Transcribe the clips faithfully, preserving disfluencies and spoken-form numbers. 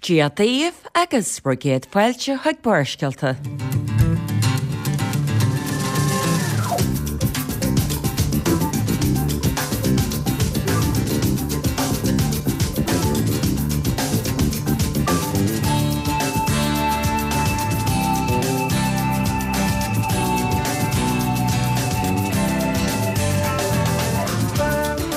Dia daoibh agus bhur gcéad fáilte chuig Barrscéalta.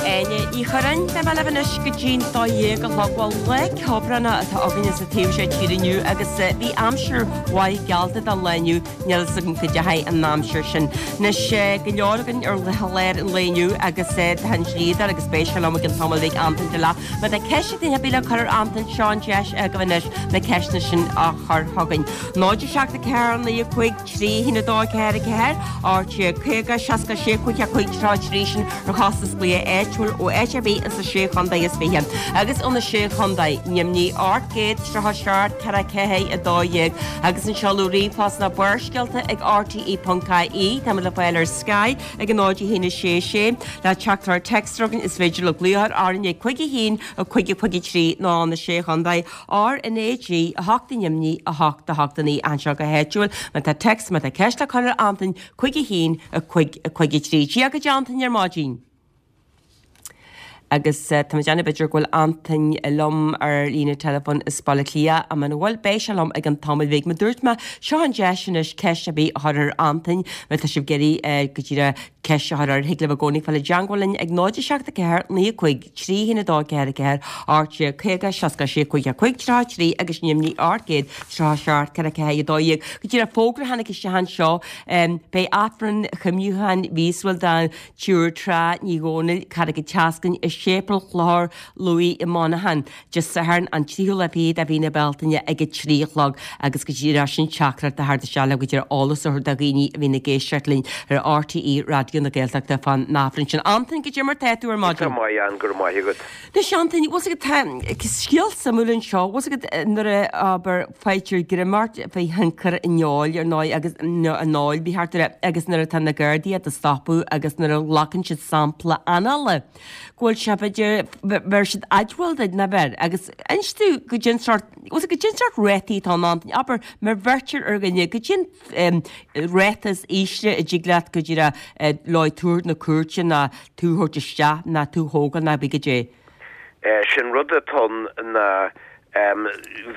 Áine Ní Churráin, Beidh mé libh anois go dtí'n dó dhéag a chlog. Bhuel, lá ceobhránach atá againne sa taobh seo tíre inniu agus bhí aimsir mhaith geallta don lá inniu, níl fhios agam cad é an aimsir sin. Anois, go leor againn ar chlár an lae inniu agus tá an dlíodóir agus beidh sé liom i gcionn tamaill bhig, Antain de Leath. Má tá ceist ag duine ar bith le cur ar Antain, seo an deis agaibh anois na ceisteanna sin a chur chugainn. Náid a seacht a ceathair naoi a cúig trí a haon a dó ceathair a ceathair, ocht déag caoga seasca sé cúig a cúig tríocha trí sin ar chostas glaoch áitiúil ó áit ar bith ins na Sé Chontae is Fiche agus ó na Sé Chontae, Nimhní ocht gcéad tríocha seacht ceathair ceathair a dó dhéag agus an seoladh ríomhphost ná Barrscéalta ag rte ponc ie. Táimid le fáil ar Sky ag a náid a haon a sé sé. Le teachtaireacht téacs chugainn is féidir libh glaoch orainn ag cúig a haon a cúig a cúig a trí nó na Sé Chontae R N A G a hocht i Nimhní a hocht a hocht a naoi anseo go háitiúil. Má tá téacs, má tá ceist le cur ar Antain, cúig a haon a cúig a cúig a trí. Dia duit Antain ar maidin. Agus tá mé ag déanamh b'fhéidir go bhfuil Antain liom ar líne teileafóin as Baile Átha Cliath ach muna bhfuil beidh sé liom i gcionn tamaill bhig. Mar dúirt mé, seo an deis anois ceist ar bith a chur ar Antain má tá sibh ag iarraidh go díreach ceist a chur air. Thig libh i gcónaí fáil i dteangmháil linn ag náid a seacht a ceathair naoi a cúig trí haon a dó ceathair a ceathair ocht déag caoga seasca sé cúig a cúig tríocha trí agus Nimhní ocht gcéad tríocha seacht ceathair ceathair a dó dhéag. Go díreach fógra a tháinig isteach anseo beidh Aifreann chuimhniúcháin mhíosúil don tSiúr Trá Ní Dhomhnaill, Carraig an tSeascainn, i Séipéal Chlochar Lughaidh i Monaghan, Dé Sathairn an tríú lá fichead de mhí na Bealtaine ag a trí a chlog agus go díreach sin teachtaireacht a theacht isteach le go díreach eolas a thabhairt do dhaoine a bhíonn ag éisteacht linn ar RTÉ Raidió na Gaeltachta fán Aifreann sin. Antain, cad é mar tá tú ar maidin? Tá maith Ann, go raibh maith agat. Anois Antain, bhfuil 's agat tá scéal suimiúil anseo, bhfuil 's agat nuair a abair faightear greim ort faoi thionchar an óil ar ndóigh agus an óil ba cheart a rá agus nuair atá na Gardaí á do stopadh agus nuair a ghlacann siad sampla anála go bhfuil sé b'fhéidir bheir siad admháil duit nach bheir agus inis domh goidé an sórt bhfuil 's agat goidé an sórt rátaí atá ann Antain abair má bheirtear ar dhuine goidé an ráta is ísle a dtig leat go díreach leo tú a thabhairt na cúirte ná tú a thabhairt isteach ná tú a thógáil ná bí goidé. Sin rud atá ann ná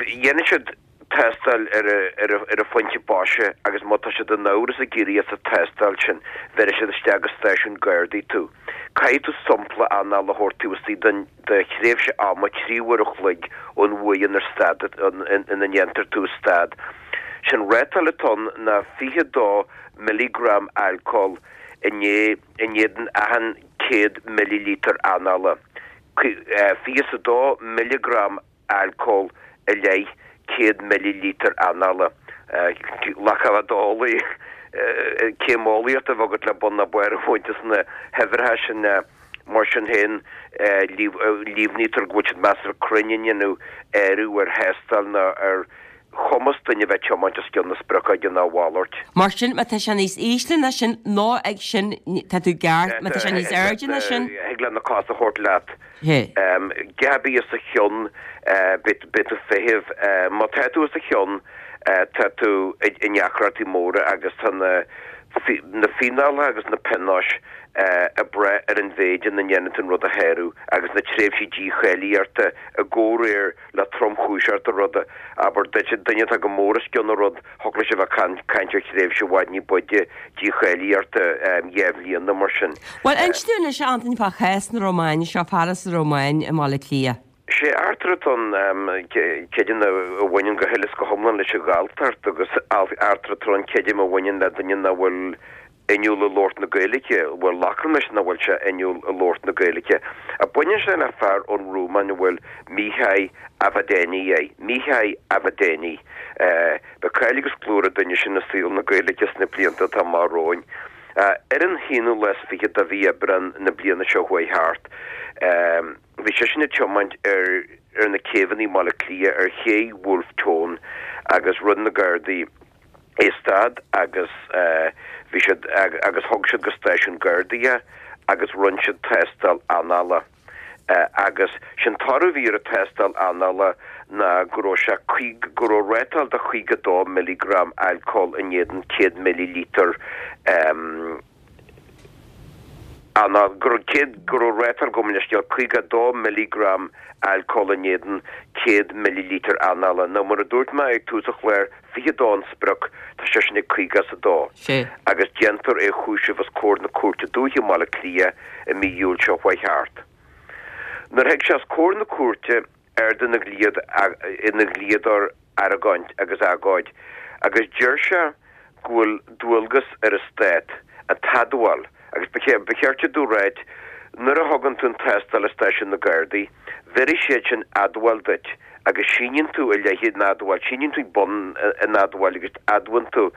dhéanann siad tástáil ar ar an phointe boise agus má tá siad in amhras ag éirí as an tástáil sin, bheirfidh siad isteach go stáisiún Gardaí tú. Caithfidh tú sampla anála a thabhairt taobh istigh den de thréimhse ama trí uair a chloig ón uair inar stad ina ndéantar tú a stad. Sin rátáil atá ann ná fiche dó milligram alcóil in in éadan achan céad millilítear anála. Fiche is a dó milligram alcól i leith céad millilítear anála. Ghlacfadh d'eolaí céim eolaíochta a bheith agat le bun ná barr a bhaint as na huimhreacha sin. Mar sin féin, líomhnaítear go bhfuil siad measartha cruinn i ndéanamh áireamh ar thástáil ná ar chumas duine a bheith ag tiomáint os cionn na spriocfhaide ná a mhalairt. Mar sin, má tá sé níos ísle ná sin, nó ag sin, tá tú ceart, má tá sé níos airde ná sin. Thig leat na cos a thabhairt leat. Deich ar bith os a chionn, beidh tú ag feitheamh. Má tá tú os a chionn, tá tú i ndeacrachtaí móra agus tá na na fíneálacha agus na pionóis ag brath ar an mhéid ina ndéanann tú an rud a shárú agus na tréimhsí dícháilíochta i gcomhréir le tromchúiseacht an ruda. Abair duit, duine atá go mór os cionn an rud, thiocfadh leis a bheith ag caint ar thréimhse i bhfad ní b'fhaide dícháilíochta dhá bhliana mar sin. Bhuel, inis dúinn anois, a Antain, fá chás na Rómáine seo, fear as an Rómáin i mBaile Átha Cliath. Sé eachtra atá ann, creidim, a bhaineann go huile is go hiomlán leis an Ghalltacht agus eachtra atá ann, creidim, a bhaineann le duine nach bhfuil inniúil i labhairt na Gaeilge, bhuel, glactar leis nach bhfuil sé inniúil i labhairt na Gaeilge. Ach baineann sé le fear ón Rúmáin a bhfuil Mihai Avadeni air. Mihai Avadeni. Beidh cáil agus glór an duine sin i saol na Gaeilge sna blianta atá amach romhainn. Ar an haonú lá is fiche de mhí Aibreán na bliana seo chuaigh thart, bhí seisean ag tiomáint ar ar na céibheanna i mBaile Átha Cliath ar ché Wolfe Tone agus rinne na Gardaí é a stad agus bhí siad agus thug siad go stáisiún Gardaí é agus rinne siad tástáil anála. Agus sin toradh a bhí ar an tástáil anála ná go raibh sé go raibh rátáil de chaoga dó milligram alcóil in éadan céad millilítear anála, go raibh céad go raibh rátáil gabh mo leithscéal caoga dó milligram alcóil in éadan céad millilítear anála. Nó mar a dúirt mé ag tús an chláir, fiche dó an sprioc, tá seisean ag caoga is a dó. Agus déantar é a chúiseamh os comhair na Cúirte Dúiche i mBaile Átha Cliath i mí Iúil seo chuaigh thart. Nuair a thig sé os comhair na cúirte ardaíonn a dhlíodóir argóint agus agóid agus deir sé go bhfuil dualgas ar an Stát an t-admháil agus ba cheart domh ráit nuair a thugann tú an tástáil i stáisiún na Gardaí bheirfidh siad sin admháil duit agus síníonn tú i leith an admháil, síníonn tú ag bun an admháil agus admhaíonn tú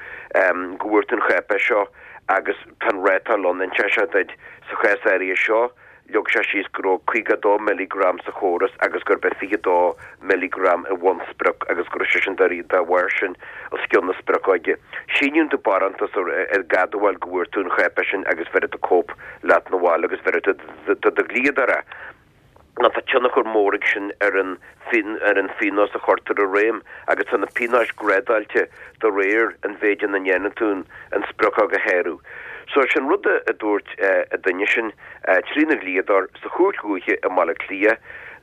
go bhfuair tú an cháipéis seo agus tá an rátáil ann, inseoidh sé duit sa chás áirithe seo. Leag sé síos go raibh caoga a dó milligram sa chóras agus gurb é fiche a dó milligram an bhunsprioc agus go raibh sé sin dá bharr sin os cionn na spriocóige. Síníonn tú barántas ag admháil go bhfuair tú an cháipéis sin agus bheirfidh tú cóip leat 'na bhaile agus bheirfidh tú do do dhlíodóir é. Nó tá tionchar mór ag sin ar an ar an phionós a chuirtear i réim agus tá na pionóis grádáilte de réir an mhéid ina ndéanann tú an spriocóg a shárú. So sin rud a dúirt an duine sin trína dhlíodóir sa Chúirt Dhúiche i mBaile Átha Cliath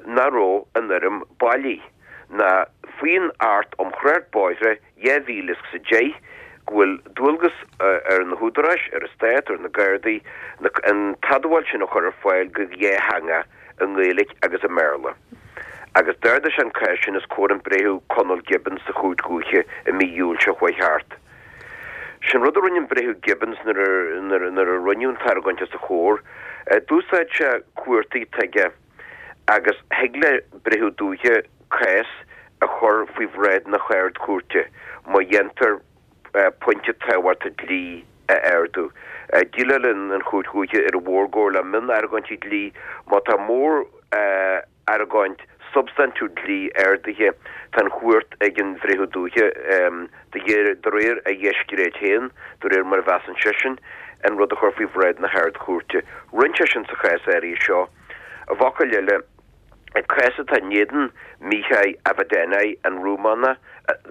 nach raibh an fhoirm bailí ná faoin Acht um Thrácht Bóithre dhá mhíle is a deich go bhfuil dualgas ar na húdaráis, ar an Stát, ar na Gardaí, an t-admháil sin a chur ar fáil go dhátheangach i nGaeilge agus i mBéarla. Agus d'ardaigh sé an cás sin os comhair an Breitheamh Conal Gibbons sa Chúirt Dhúiche i mí Iúil seo chuaigh thart. Sin rud a rinne an Breitheamh Gibbons nuair nuair a rinneadh an t-argóint os a chomhair. D'úsáid sé cumhachtaí atá aige agus thig le Breitheamh Dúiche cás a chur faoi bhráid na hArd-Chúirte má dhéantar pointe tábhachtach dlí a ardú. Déileálann an Chúirt Dhúiche ar an mhórgóir le mion-argóintí dlí má tá mór argóint substaintiúil dlí ardaithe, tá an chumhacht ag an Bhreitheamh Dúiche, de réir a dhiscréid féin, de réir mar a mheasann seisean, an rud a chur faoi bhráid na hArd-Chúirte. Rinne sé sin sa chás áirithe seo. I bhfocail eile, an cás atá in éadan Mihai Avadenei, an Rúmánach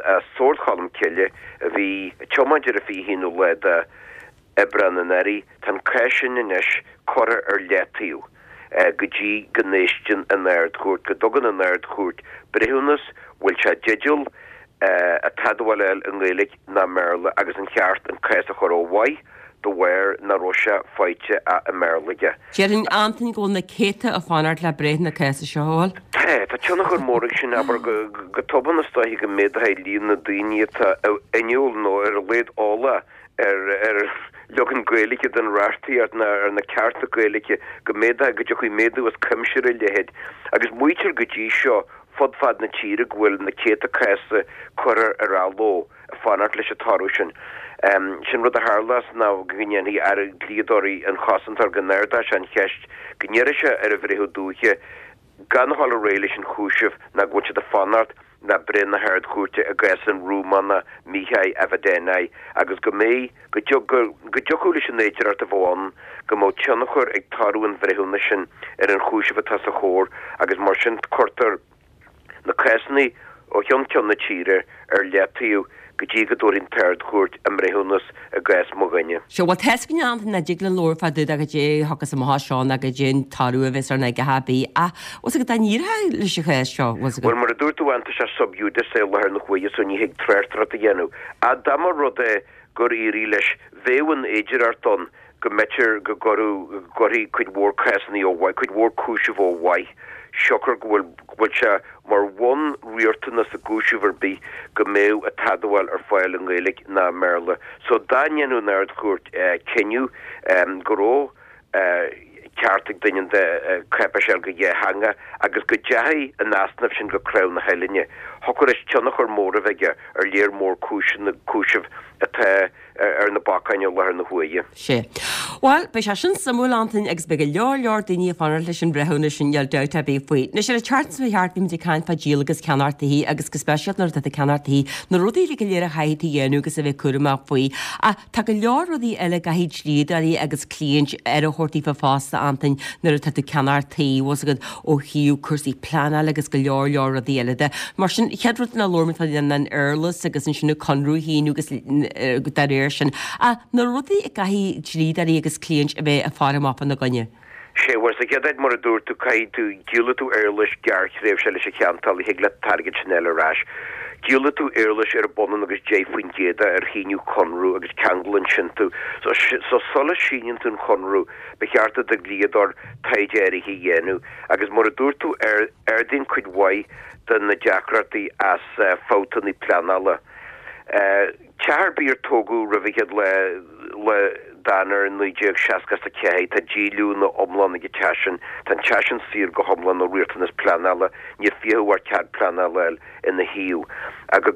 as Sord Cholm Cille a bhí ag tiomáint ar an fiche haonú lá de Aibreán anuraidh, tá an cás sin anois curtha ar leataobh go dtí go n-éisteann an Ard-Chúirt, go dtugann an Ard-Chúirt breithiúnas, bhfuil sé i dteideal an t-admháil a fháil i nGaeilge ná i mBéarla agus an cheart an cás a chur ó mhaith de bharr nach raibh sé faighte i mBéarla aige. Déarfainn, Antain, go bhfuil na céadta ag fanacht le breith na cása seo a fháil. Tá, tá tionchar mór ag sin, abair, go tobann is dóiche go méadóidh líon na daoine atá inniúil nó ar a laghad eolach ar ar leagan Gaeilge den reachtaíocht nó ar na cearta Gaeilge, go méadóidh, go dtiocfaidh méadú as cuimse ar a leithéid. Agus maítear go dtí seo fud fad na tíre go bhfuil na céadta cás curtha ar athló ag fanacht leis an toradh sin. Sin rud a tharlós ná go ndéanfaidh aire dlíodóirí an chosantóir go n-ardóidh sé an cheist, go n-iarrfaidh sé ar an Bhreitheamh Dúiche gan a dhul ar aghaidh leis an chúiseamh ná go bhfuil siad ag fanacht le breith na hArd-Chúirte i gcás an Rúmánach Mihai Avadenei agus go mbeidh, go dtiocfadh leis an fhéidearthacht a bheith ann go mbeadh tionchar ag toradh an bhreithiúnais sin ar an chúiseamh atá os a chomhair agus mar sin cuirtear na cásanna ó cheann ceann na tíre ar leataobh go dtí go dtabharfaidh an tArd-Chúirt a mbreithiúnas i gcás mo dhuine. Sea, bhuel, tá a fhios againn, Antain, nach dtig linn labhairt fá dtaobh de goidé a thiocfas amach as seo ná goidé an toradh a bheas ar na a bith, ach bhfuil 's agat dá n-éireodh leis an chás seo, bhfuil 's agat? Bhuel, mar a dúirt tú, tá sé sub judice i láthair na huaire so ní thig tráchtaireacht a dhéanamh. Ach dá mba rud é gur éirigh leis, bheadh an fhéidearthacht ann go mb'fhéidir go gcuirfeadh, go gcuirfí cuid mhór cásanna ó mhaith, cuid mhór cúiseamh ó mhaith, siocair go bhfuil, go bhfuil sé mar bhunriachtanas i gcúiseamh ar bith go mbeadh an t-admháil ar fáil i nGaeilge ná i mBéarla. So dá ndéanfadh an Ard-Chúirt cinneadh go raibh ceart ag duine an cháipéis a fháil go dhátheangach agus go dteachaigh an easnamh sin go crann na huillinne, thiocfadh leis tionchar mór a bheith aige ar léar mór cúiseanna, cúiseamh atá ar na bacáin i láthair na huaire. Sé. Bhuel, beidh sé sin suimiúil Antain agus beidh go leor leor daoine ag fanacht leis an bhreithiúnas sin níl dabht ar bith faoi. Anois ar an tseachtain seo thart bhí muid ag caint fá díol agus ceannacht tithe agus go speisialta nuair atá tú ag ceannacht tithe na rudaí uilig go léir a chaithfidh tú a dhéanamh agus a bheith cúramach faoi. Ach tá go leor rudaí eile a gcaithfidh dlíodóirí agus cliaint aire a thabhairt daofa fosta Antain nuair atá tú ag ceannacht tí bhfuil fhios agat ó thaobh cúrsaí pleanála agus go leor leor rudaí eile de. Mar sin chéad rud ná labhair muid fá an éarlais agus ansin an conradh a shíniú agus dá réir sin. Ach na rudaí a gcaithfidh dlíodóirí agus cliaint a bheith ag faire amach ina gcoinne. Sé bhuel sa chéad áit mar a dúirt tú caithfidh tú díolfaidh tú éarlais gearrthréimhse leis an cheantálaí thig leat an t-airgead sin a fháil ar ais. Díolfaidh tú éarlais ar b'ionann agus deich faoin gcéad ar shíniú conradh agus ceanglann sin tú. So, so sula síníonn tú an conradh ba cheart do do dhlíodóir taighde áirithe a dhéanamh agus mar a dúirt tú ar ardaíonn cuid mhaith de na deacrachtaí as uh, fabhtanna pleanála. Uh, Teach ar bith ar tógadh roimh an chéad lá lá d'Eanáir naoi déag seasca a ceathair tá díolúine iomlán ag an teach sin, tá an teach sin saor go hiomlán ó riachtanas pleanála, níl fiacha ar cead pleanála ina thaobh. Agus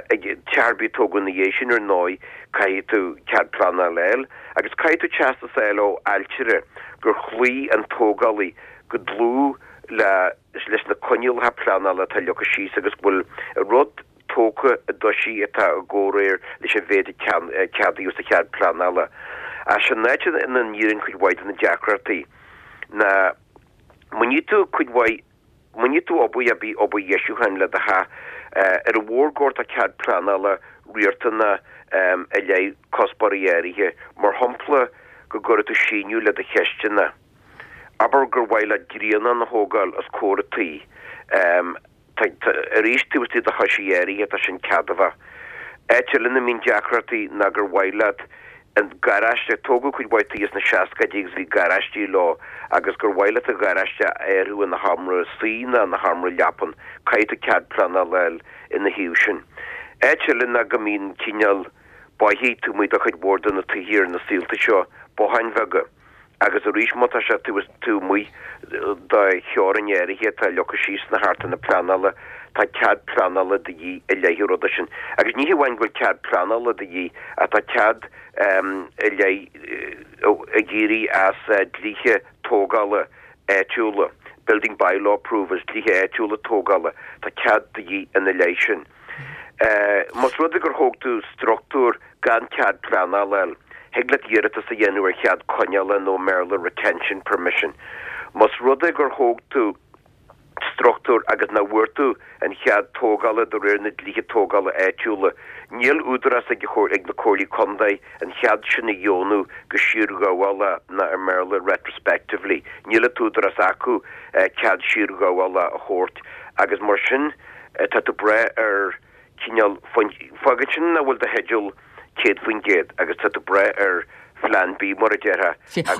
teach ar bith a tógadh ina dhiaidh sin ar ndóigh caithfidh tú cead pleanála a fháil, agus caithfidh tú teastas a fháil ó ailtire gur chloígh an tógálaí go dlúth le leis na coinníollacha pleanála atá leagtha síos agus go bhfuil rud tógtha i dtoisí atá i gcomhréir leis an mhéid a ceadaíodh sa chead pleanála. Ach sin áit ina n-éiríonn cuid mhaith de na deacrachtaí ná má ní tú cuid mhaith má ní tú obair a bhí obair dheisiúcháin le do theach ar an mhórgóir tá cead pleanála riachtanach i leith cuspóirí áirithe, mar shampla go gcuirfidh tú síneadh le do chisteanach. Abair gur mhaith leat grianán a thógáil os comhair an tí. Arís taobh istigh de thoisí áirithe tá sin ceadmhach. Áit eile ina mbíonn deacrachtaí ná gur mhaith leat an garáiste, tógadh cuid mhaith tithe sna seascaidí agus bhí garáistí leo, agus gur mhaith leat an garáiste a athrú ina sheomra suí nó ina sheomra leapan, caithfidh tú cead pleanála a fháil ina thaobh sin. Áit eile ná go mbíonn cineál bothaigh taobh amuigh de chuid mhór de na tithe ar na saolta seo, botháin bheaga. Agus arís má tá sé taobh amuigh de theorainn áirithe atá leagtha síos sna hartanna pleanála, tá cead pleanála de dhíth i leith an ruda sin. Agus ní hamháin go bhfuil cead pleanála de dhíth, ach tá cead i leith ag éirí as dlíthe tógála áitiúla, building bylaw approvals, dlíthe áitiúla tógála, tá cead de dhíth ina leith sin. Más rud é gur thóg tú struchtúr gan cead pleanála a fháil, thig leat iarratas a dhéanamh ar chead coinneála nó i mBéarla retention permission. Más rud é gur thóg tú struchtúr agus nach bhfuair tú an chead tógála de réir na dlíthe tógála áitiúla, níl údarás ag ag na comhairlí contae an chead sin a dheonú go siarghabhálach nó i mBéarla retrospectively. Níl an t-údarás acu cead siarghabhála a thabhairt agus mar sin tá tú ag brath ar cineál fágann sin nach bhfuil do theideal céad faoin gcéad agus tá tú ag brath ar phlean B mar a déarfá.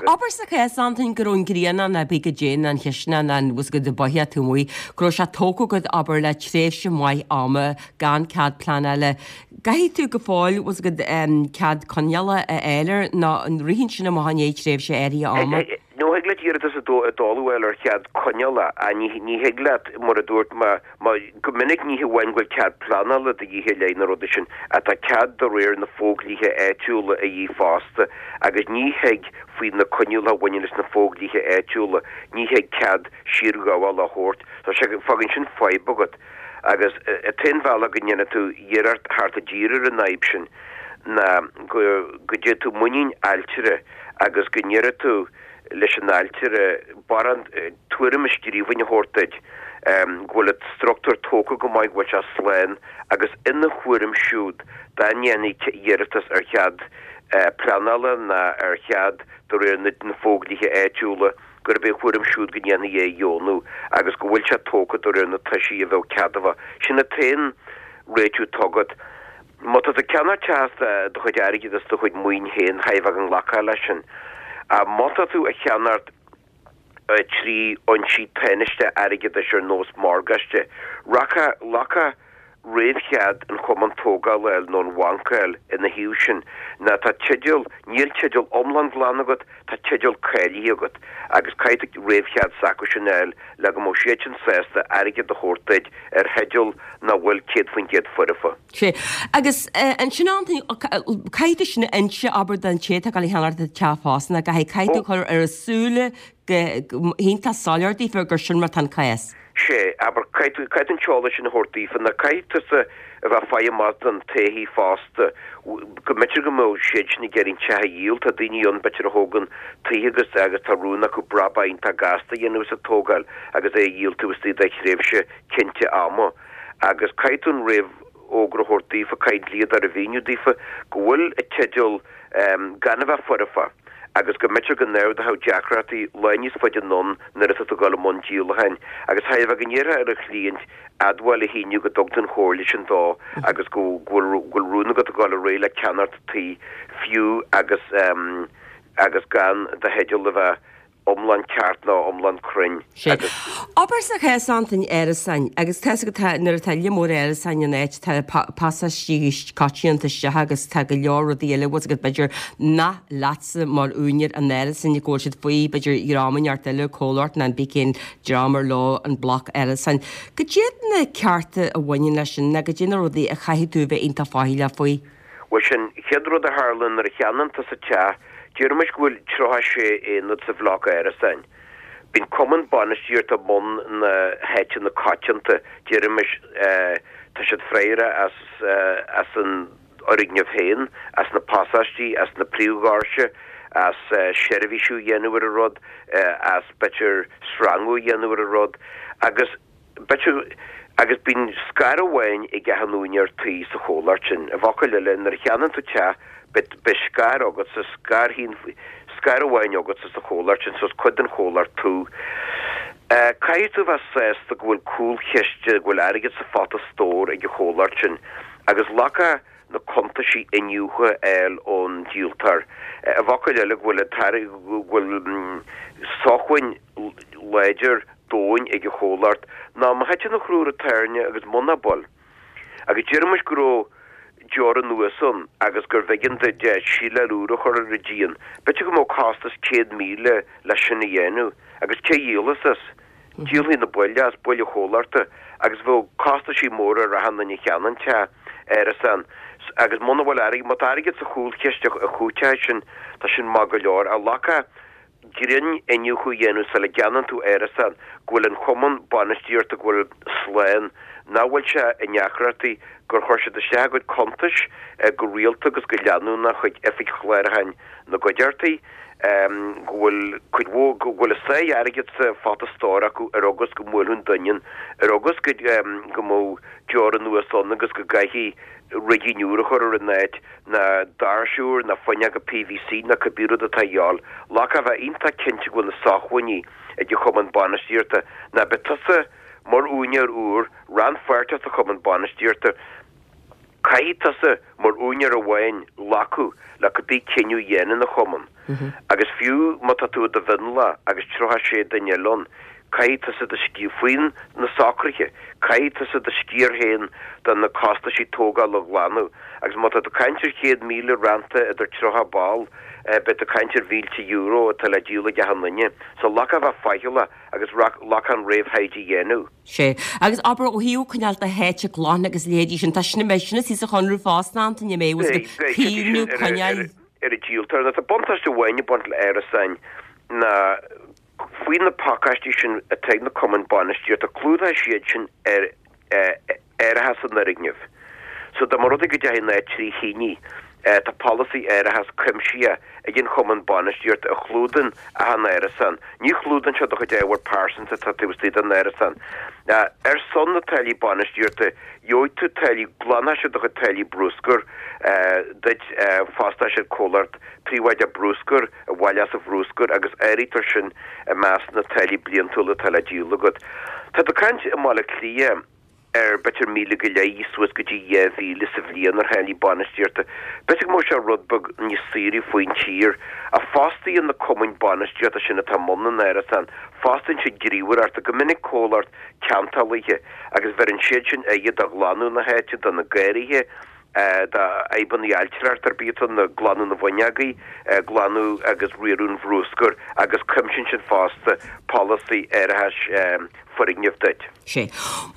Abair sa chás Antain go raibh an grianán ar bith go dtéann an chisteanach an bhfuil go botha tú amuigh, go raibh sé tógtha agat abair le tréimhse mhaith ama gan cead pleanála. Caithfidh tú go fóill bhfuil go cead coinneála a fháil air nó an ritheann sin amach i ndiaidh tréimhse áirithe ama. No thig leat iarratas a dáileadh ar chead coinneála a ní ní thig leat mar a dúirt má go minic ní hamháin go bhfuil cead pleanála de dhíth i leith na rudaí sin ach tá cead de réir na fodhlíthe áitiúla a dhíth fosta agus ní thig faoi na coinníollacha a bhaineann leis na fodhlíthe áitiúla ní thig cead siarghabhála a thabhairt so sé fágann sin fadhb agat agus an t-aon bhealach go ndéanfaidh tú iarracht theacht i dtír ar an fhadhb sin ná go go dté tú muinín ailtire agus go ndéarfaidh tú leis an ailtire barán tuairim i scríbhinn a thabhairt duit go bhfuil an struchtúr tógtha go maith go bhfuil sé slán agus ina thuairim siúd dá ndéanfaí iarratas ar chead pleanála ná ar chead de réir na fodhlíthe áitiúla gurb é a thuairim siúd go ndéanfaí é a dheonú agus go bhfuil sé tógtha de réir na toisí a bheadh ceadmhach. Sin an t-aon réitiú atá agat. Má tá tú ag ceannacht teach as do chuid airgid is do chuid maoin féin chaithfeá go nglacfá leis sin. Má tá tú a cheannacht trí fhoinsí tánaisteacha airgeadais ar nós morgáiste, rachadh glacadh réamhchead an chumann tógála a fháil nó an bhanc a fháil ina thaobh sin ná tá teideal, níl teideal iomlán glan agat, tá teideal cáilithe agat agus caithfidh tú réamhchead s'acu sin a fháil le go mbeadh siad sin sásta airgead a thabhairt duit ar theideal nach bhfuil céad faoin gcéad foirfe. Sea. Agus ansin Antaine, caithfidh tú sin a inse, abair, don té atá ag dul a cheannacht an teach fosta, ná caithfidh, caithfidh tú cur ar a súile go hiontach soiléir daofa gur sin mar atá an cás. Sea, abair, caithfidh tú, caithfidh tú an t-eolas sin a thabhairt daofa, ná caithfidh tusa a bheith ag faire amach don taithí fosta, go mb'fhéidir go mbeadh siad sin ag iarraidh an teach a dhíol, tá daoine ann b'fhéidir a thógann tithe agus, agus tá rún acu brabach iontach gasta a dhéanamh as an tógáil agus é a dhíol taobh istigh de thréimhse cinnte ama. Agus caithfidh tú an réamhfhógra a thabhairt daofa, caithfidh an dlíodóir a mhíniú daofa go bhfuil an teideal gan a bheith foirfe. agus go mb'fhéidir go n-ardódh deacrachtaí lá níos faide anonn nuair atá tú ag dul i mbun díolacháin, agus chóir a bheith go ndéarfá ar an chliaint admháil a shíniú go dtug tú an chomhairle sin dó agus go bhfuil rún agat a dhul ar aghaidh le ceannacht tí fiú agus agus gan do theideal a bheith iomlán ceart nó iomlán cruinn Sea. agus. Abair sa chás Antaine árasáin, agus tá 'fhios agat tá, nuair atá lear mór árasáin in áit tá pasáistí coitianta isteach agus tá go leor rudaí eile bhfuil 'fhios agat b'fhéidir nach leatsa mar úinéir an árasáin go bhfuil siad faoi b'fhéidir dhream inteacht eile, comhlacht nó cibé cén dream ar leo an bloc árasáin. Cad iad na cearta a bhaineann leis sin nó cad iad na rudaí a chaithfidh tú a bheith iontach faichilleach faoi? Bhuel sin chéad rud a tharlaíonn nuair a cheannaíonn tusa teach, Déarfaimis go bhfuil tríocha sé aonad sa bhloc árasáin. Bíonn cumann bainistíochta i mbun na háiteanna coitianta, déarfaimis, tá siad freagrach as as an fhoirgneamh féin, as na pasáistí, as na príomhdhoirse, as seirbhísiú a dhéanamh ar an rud, as b'fhéidir sreangú a dhéanamh ar an rud agus b'fhéidir, agus bíonn scair amháin ag achan úinéir tí sa chomhlacht sin. I bhfocail eile, nuair a cheannaíonn tú teach, beidh, beidh scair agatsa, scair féin, scair amháin agatsa sa chomhlacht sin, so is cuid den chomhlacht tú. Caithfidh tú a bheith sásta go bhfuil cúlchiste, go bhfuil airgead sa phota stóir ag an chomhlacht sin, agus glacadh na cuntaisí iniúchta a fháil ón díoltóir. I bhfocail eile, go bhfuil an t-airgead, go bhfuil sócmhainn láidir domhain ag an chomhlacht ná má thiteann an crú ar an tairne agus muna bhfuil, agus déarfaimis go raibh deora anuas ann agus gurbh éigean duit síleáil úr a chur ar an díon, b'fhéidir go mbeadh costas céad míle leis sin a dhéanamh, agus cé a dhíolfas as? Díolfaidh na baill as, baill an chomhlachta, agus bheadh costaisí móra ar achan duine a cheannaigh an teach, árasán, agus muna bhfuil airgead, má tá airgead sa chúlchiste a chúiteoidh sin, tá sin maith go leor, ach glacadh grinn-iniúchadh a dhéanamh sula gceannaíonn tú árasán, go bhfuil an chumann bainistíochta go bhfuil slán, nach bhfuil sé i ndeacrachtaí, gur chuir siad isteach a gcuid cuntais go rialta agus go leanúnach chuig oifig chlárúcháin na gcuideachtaí, go bhfuil cuid mhór, go bhfuil a sáith airgid sa phota stóir acu ar eagal go mbuailfeadh an doineann, ar eagal go go mbeadh deora anuas ann agus go gcaithfí rigín úr a chur ar an áit, ná doirse úr, ná fuinneoga PVC, ná cibé rud atá a dhíobháil. Glacadh a bheith iontach cinnte go bhfuil na sócmhainní ag an chumann bainistíochta, ná beidh tusa mar úinéir úr rannpháirteach sa chumann bainistíochta. Caithfidh tusa mar úinéir amháin glacadh le cibé cinneadh a dhéanann an chumann. Agus fiú má tá tú i do mhionlach agus tríocha sé duine eile ann, Caithfidh tusa do sciar, faoi na socruithe, caithfidh tusa do sciar féin de na costaisí tógála a ghlanadh. Agus má tá tú ag caint ar chéad míle rannta idir tríocha ball, beidh tú ag caint ar mhílte euro atá le díol ag achan duine. So glacadh a bheith faichilleach agus glacadh an réamhthaighde a dhéanamh. Sea. Agus abair, ó thaobh coinneáil do háite glan agus leithéidí sin, tá sin, beidh sin istigh sa chonradh fosta, Antaine, an mbeidh, bhfuil Beidh, beidh, caomhnú, ar, ar, coinneáil. ar an díoltóir. Nó tá buntáiste amháin ag baint le árasáin ná Faoi na pacáistí sin atá ag na cumainn bainistíochta, clúdaíonn siad sin ar árachas an fhoirgnimh. So dá mba rud é go dteachaidh an áit trí thine, tá polasaí árachas cuimsitheach ag an chumann bainistíochta a chlúdaíonn achan árasán. Ní chlúdaíonn sé do chuid ábhar pearsanta atá taobh istigh den árasán. Ar son na táillí bainistíochta, gheobhaidh tú táillí, glanfaidh siad do chuid táillí bruscair duit, fostóidh siad comhlacht príobháideach bruscair a bhaileos an bruscar agus áirítear sin i measc na táillí bliantúla atá le díol agat. Tá tú ag caint i mBaile Átha Cliath ar b'fhéidir míle go leith suas go dtí dhá mhíle sa bhliain ar tháillí bainistíochta. B'fhéidir go mbeadh sé rud beag níos saoire faoin tír. Ach fostaíonn na cumainn bainistíochta sin atá i mbun na n-árasán, fostaíonn siad gníomhaireacht, go minic comhlacht ceantálaithe, agus bheireann siad sin aire do ghlanadh na háite, do na garraithe, do fhadhbanna ailtireachta ar bith atá ann, glanadh na bhfuinneogaí, glanadh agus riaradh an bhrúscair agus cuimsíonn siad fosta polasaí árachais foirgneamh duit. Sé.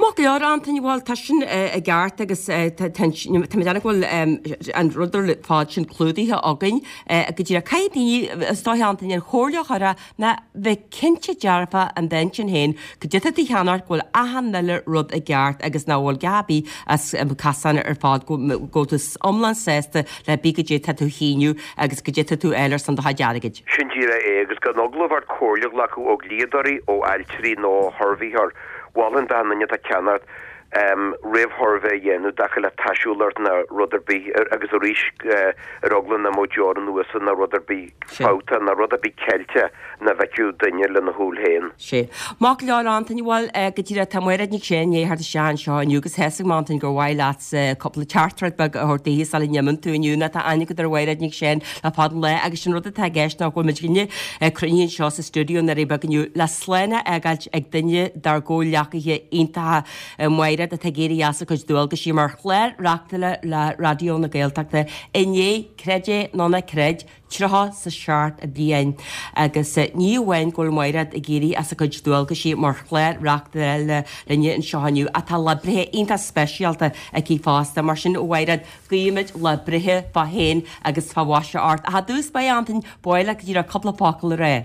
Maith go leor, Antaine, bhuel tá sin i gceart agus tá mé ag déanamh go bhfuil an rud ar fad sin clúdaithe againn go díreach. Caithfidh daoine, is dóiche, Antaine, an chomhairle a chur ná bheith cinnte dearfa in d'intinn féin goidé tá tú a cheannacht go bhfuil achan uile rud i gceart agus nach bhfuil gá ar bith as casán ar fad go bhfuil tú iomlán sásta le pé goidé tá tú a shíniú agus goidé tá tú a fháil ar son do chuid airgid. Sin díreach é agus gan eagla ort comhairle a ghlacadh ó dhlíodóirí, ó ailtirí nó ó shuirbhéitheoir. Mholfainn d'achan duine atá ag ceannacht réamhshuirbhé a dhéanamh i dtaca le taisiúlacht nó rud ar bith agus arís ar eagla nach mbeadh deoir anuas nó rud ar bith fabhtach nó rud ar bith ceilte nach bhfeicfeadh duine lena shúil féin. Sé. Maith go leor Antaine, bhuel go díreach tá Máiréad Nic Seáin i ndiaidh theacht isteach anseo inniu agus tá a fhios agam Antaine gur mhaith leat cúpla teachtaireacht beag a thabhairt daoithe sula n-imíonn tú inniu nó tá aithne agat ar Mháiréad Nic Seáin le fada an lá agus sin rud atá i gceist ná go bhfuil muid cruinnithe anseo sa stiúideo i nDoirí Beaga inniu le slán a fhágáilt ag duine dár gcomhghleacaithe iontacha Máiréad atá ag éirí as a cuid dualgaisí mar chlár-reachtaire le Raidió na Gaeltachta i ndiaidh, creid é nó ná creid, tríocha 's a seacht bliain. Agus ní amháin go bhfuil Máiréad ag éirí as a cuid dualgaisí mar chlár-reachtaire linne anseo inniu ach tá lá breithe iontach speisialta aici fosta. Mar sin, a Mháiréad, guímid lá breithe fá shéan agus fá mhaise ort. Ach i dtús báire, Antain, ba mhaith leat go díreach cúpla focal a rá.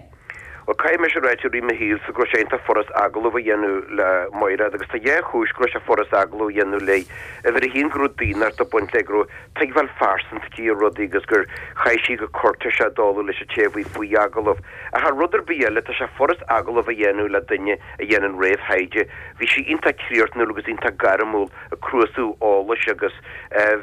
Bhuel, caithfidh mise a ráit i rith mo shaoil-sa go raibh sé iontach furast agallamh a dhéanamh le Mairéad agus tá dhá chúis go raibh sé furast agallamh a dhéanamh léi. Uimhir a haon go raibh daonnacht ag baint léi, go raibh tuigbheáil phearsanta aici ar rudaí agus gur chaith sí go cúirtéiseach i dtólamh leis an té a bhí faoi agallamh. Ach thar rud ar bith eile, tá sé furast agallamh a dhéanamh le duine a dhéanann réamhthaighde. Bhí sí iontach críochnúil agus iontach gairmiúil ag cnuasú eolais agus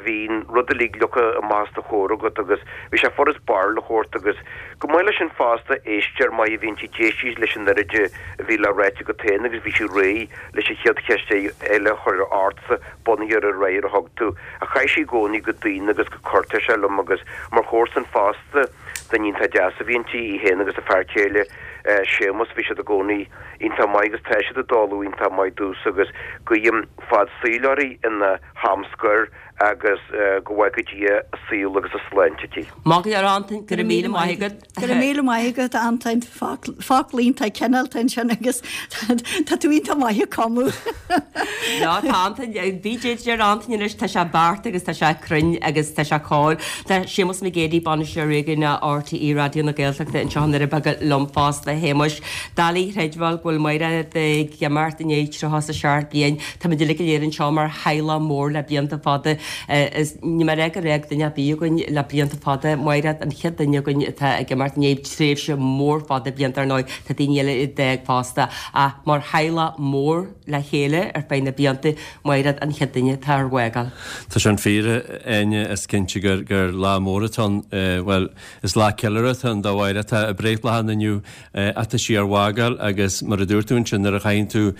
bhí an rud uilig leagtha amach os do chomhair agat agus bhí sé furast barúil a thabhairt agus chomh maith leis sin fosta éisteoir maith a bhí inti, d'éist sí leis an oiread a bhí le ráit agat féin agus bhí sí réidh leis an chéad cheist eile a chur ortsa bunaithe ar an fhreagra a thug tú. Ach chaith sí i gcónaí go daonna agus go cúirtéiseach liom agus mar chomharsan fosta duine iontach deas a bhí inti, í féin agus a fear céile Séamus, bhí siad i gcónaí iontach maith agus tá siad ag dóladh iontach maith domhsa agus guím fad saoil uirthi ina ham scoir agus go bhfága Dia a saol agus a sláinte di. Maith go leor Antain, go raibh míle maith agat. Go raibh míle maith agat Antain, focal iontach cineálta ansin agus tá tú iontach maith ag cumadh. Ná tá Antain, bhí deir Antain anois tá sé beart agus tá sé cruinn agus tá sé cóir. Tá Séamus Mac Géidigh, Bainisteoir Réigiúnach RTÉ Raidió na Gaeltachta anseo i nDoirí Beaga liom fosta, a Shéamuis. Doiligh a chreidbheáil go bhfuil Máiréad ag imeacht i ndiaidh tríocha is a seacht bliain. Táimid uilig go léir anseo mar theaghlach mór le blianta fada. Is níl mé ag rá gur fhág duine ar bith againn le blianta fada. Máiréad an chéad duine againn atá ag imeacht i ndiaidh tréimhse mór fada blianta ar ndóigh. Tá daoine eile a d'fhág fosta. Ach mar theaghlach mór le chéile ar feadh na blianta, Máiréad an chéad duine atá ár bhfágáil. Tá sin fíor, a Áine, is cinnte gur gur lá mór atá ann. Bhuel, is lá ceiliúrtha atá ann do Mháire. Tá a breithlá inniu ach tá sí ár bhfágáil agus mar a dúirt tú ansin nuair a chaitheann tú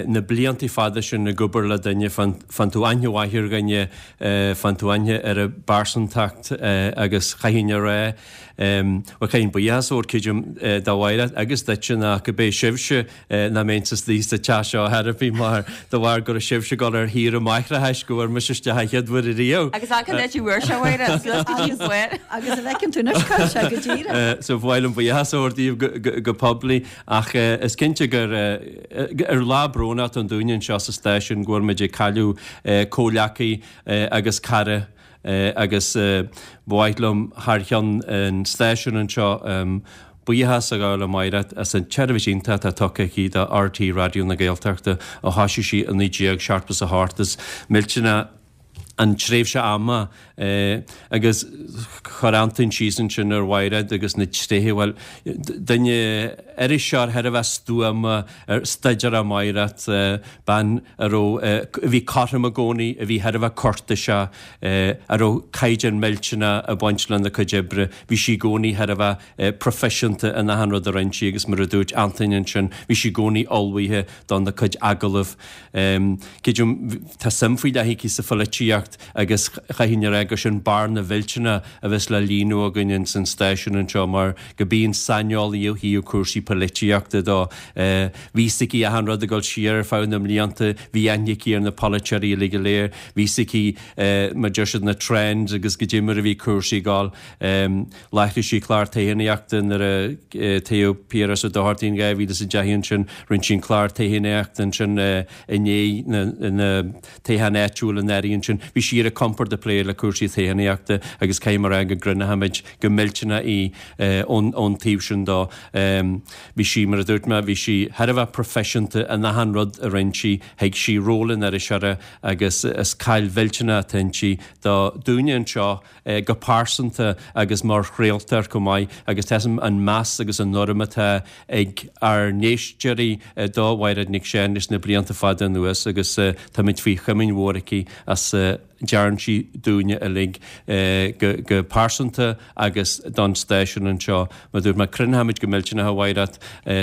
na blianta fada sin ag obair le duine, faigheann tú aithne mhaith ar dhuine, faigheann tú aithne ar a bpearsantacht agus chaithfinn a rá, bhuel chaithfinn buíochas a thabhairt creidim do Mháire agus duitse ná go b'é sibhse nach mbeinnse istigh sa teach seo ar chor ar bith mar de bharr go raibh sibhse ag dul ar shaoire máithreachais go bhfuair mise isteach an chéad uair ariamh. Agus an áit a bhfuair sé Mháire, suas go dtí an bhfuair. Agus a bhfeiceann tú anois cá bhfuil sé go díreach. So ba mhaith liom buíochas a thabhairt daoibh go poiblí ach is cinnte gur ar lá brónach atá ann dúinne anseo sa stáisiún go bhfuil muid ag cailleadh comhghleacaí agus cara agus ba mhaith liom thar cheann an stáisiúin anseo buíochas a ghabháil le Máire as an tseirbhís iontach atá tugtha aici do RTÉ Raidió na Gaeltachta ó thosaigh sí i naoi déag seachtó is a hocht. Is millteanach an tréimhse ama agus chuir Antain síos ansin ar Mhairéad agus na tréithe, bhuel, duine iriseoir thar a bheith stuama, staidéarach Mairéad, bean a raibh, a bhí cothrom i gcónaí, a bhí thar a bheith cúirtéiseach, a raibh caighdeán millteanach ag baint lena cuid oibre. Bhí sí i gcónaí thar a bheith proifisiúnta in achan rud a rinne sí agus mar a dúirt Antain ansin, bhí sí i gcónaí ullmhaithe dona cuid agallamh. Creidim, tá suim faoi leith aici sa pholaitíocht agus chaithfinn a rá gur sin bearna mhillteanach a bheas le líonadh againn ins an stáisiún anseo mar go b'í an saineolaí ó thaobh cúrsaí polaitíochta de. Bhí fhios aici achan rud ag dul siar ar feadh na mblianta, bhí aithne aici ar na polaiteoirí uilig go léir, bhí fhios aici mar deir siad na trends agus goidé mar a bhí cúrsaí ag dul. Láithrigh sí clár toghchánaíochta nuair a toghadh Piaras Ó Dochartaigh in dhá mhíle is a deich ansin, rinne sí an clár toghchánaíochta ansin i ndiaidh na toghcháin áitiúil anuraidh ansin. Bhí sí ar a compord ag plé le cúrsaí toghchánaíochta agus caithfidh mé a rá go gcronachaimid go millteanach í ón taobh sin dó. Bhí sí, mar a dúirt mé, bhí sí thar a bheith proifisiúnta in achan rud a rinne sí, thuig sí ról an iriseora agus is caill mhillteanach atá inti do dúinne anseo go pearsanta agus mar chraoltóir chomh maith agus tá an meas agus an urraim atá ag ár n-éisteoirí do Mhairéad Nic Seáin leis na blianta fada anuas agus táimid faoi chomaoin mhór aici as a ndearn sí dúinne uilig go pearsanta agus don stáisiún anseo. Mar a dúirt mé, cronachaimid go millteanach a Mhairéad,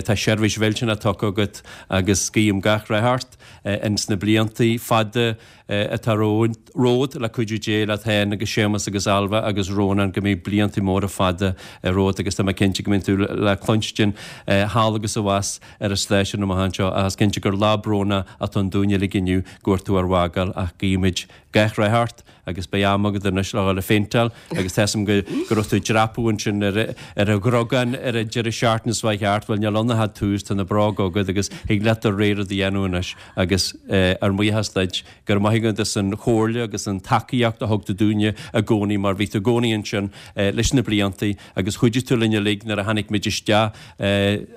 tá seirbhís mhillteanach tugtha agat agus guím gach rath ort ins na blianta fada atá romhat le cuidiú Dé leat féin agus Séamus agus Ailbhe agus Rónán go mbeidh blianta móra fada romhat agus tá mé cinnte go mbeidh tú le cluinstin thall agus abhus ar an stáisiún amach anseo ach is cinnte gur lá brónach atá ann dúinn uilig inniu go bhfuil tú ár bhfágáil ach guímid gach rath ort agus beidh am agat anois le dhul ag péinteáil agus tá 'fhios a'm go go raibh tú ag dreapadh ansin ar ar an gcrogán ar an deireadh seachtaine seo chuaigh thart, bhuel níl ann ach tús, tá na bróga agat agus thig leat do rogha rud a dhéanamh anois agus ár mbuíochas duit, go raibh maith agat as an chomhairle agus an tacaíocht a thug tú dúinne i gcónaí mar bhí tú i gcónaí ansin leis na blianta agus chuidigh tú linn uilig nuair a tháinig muid isteach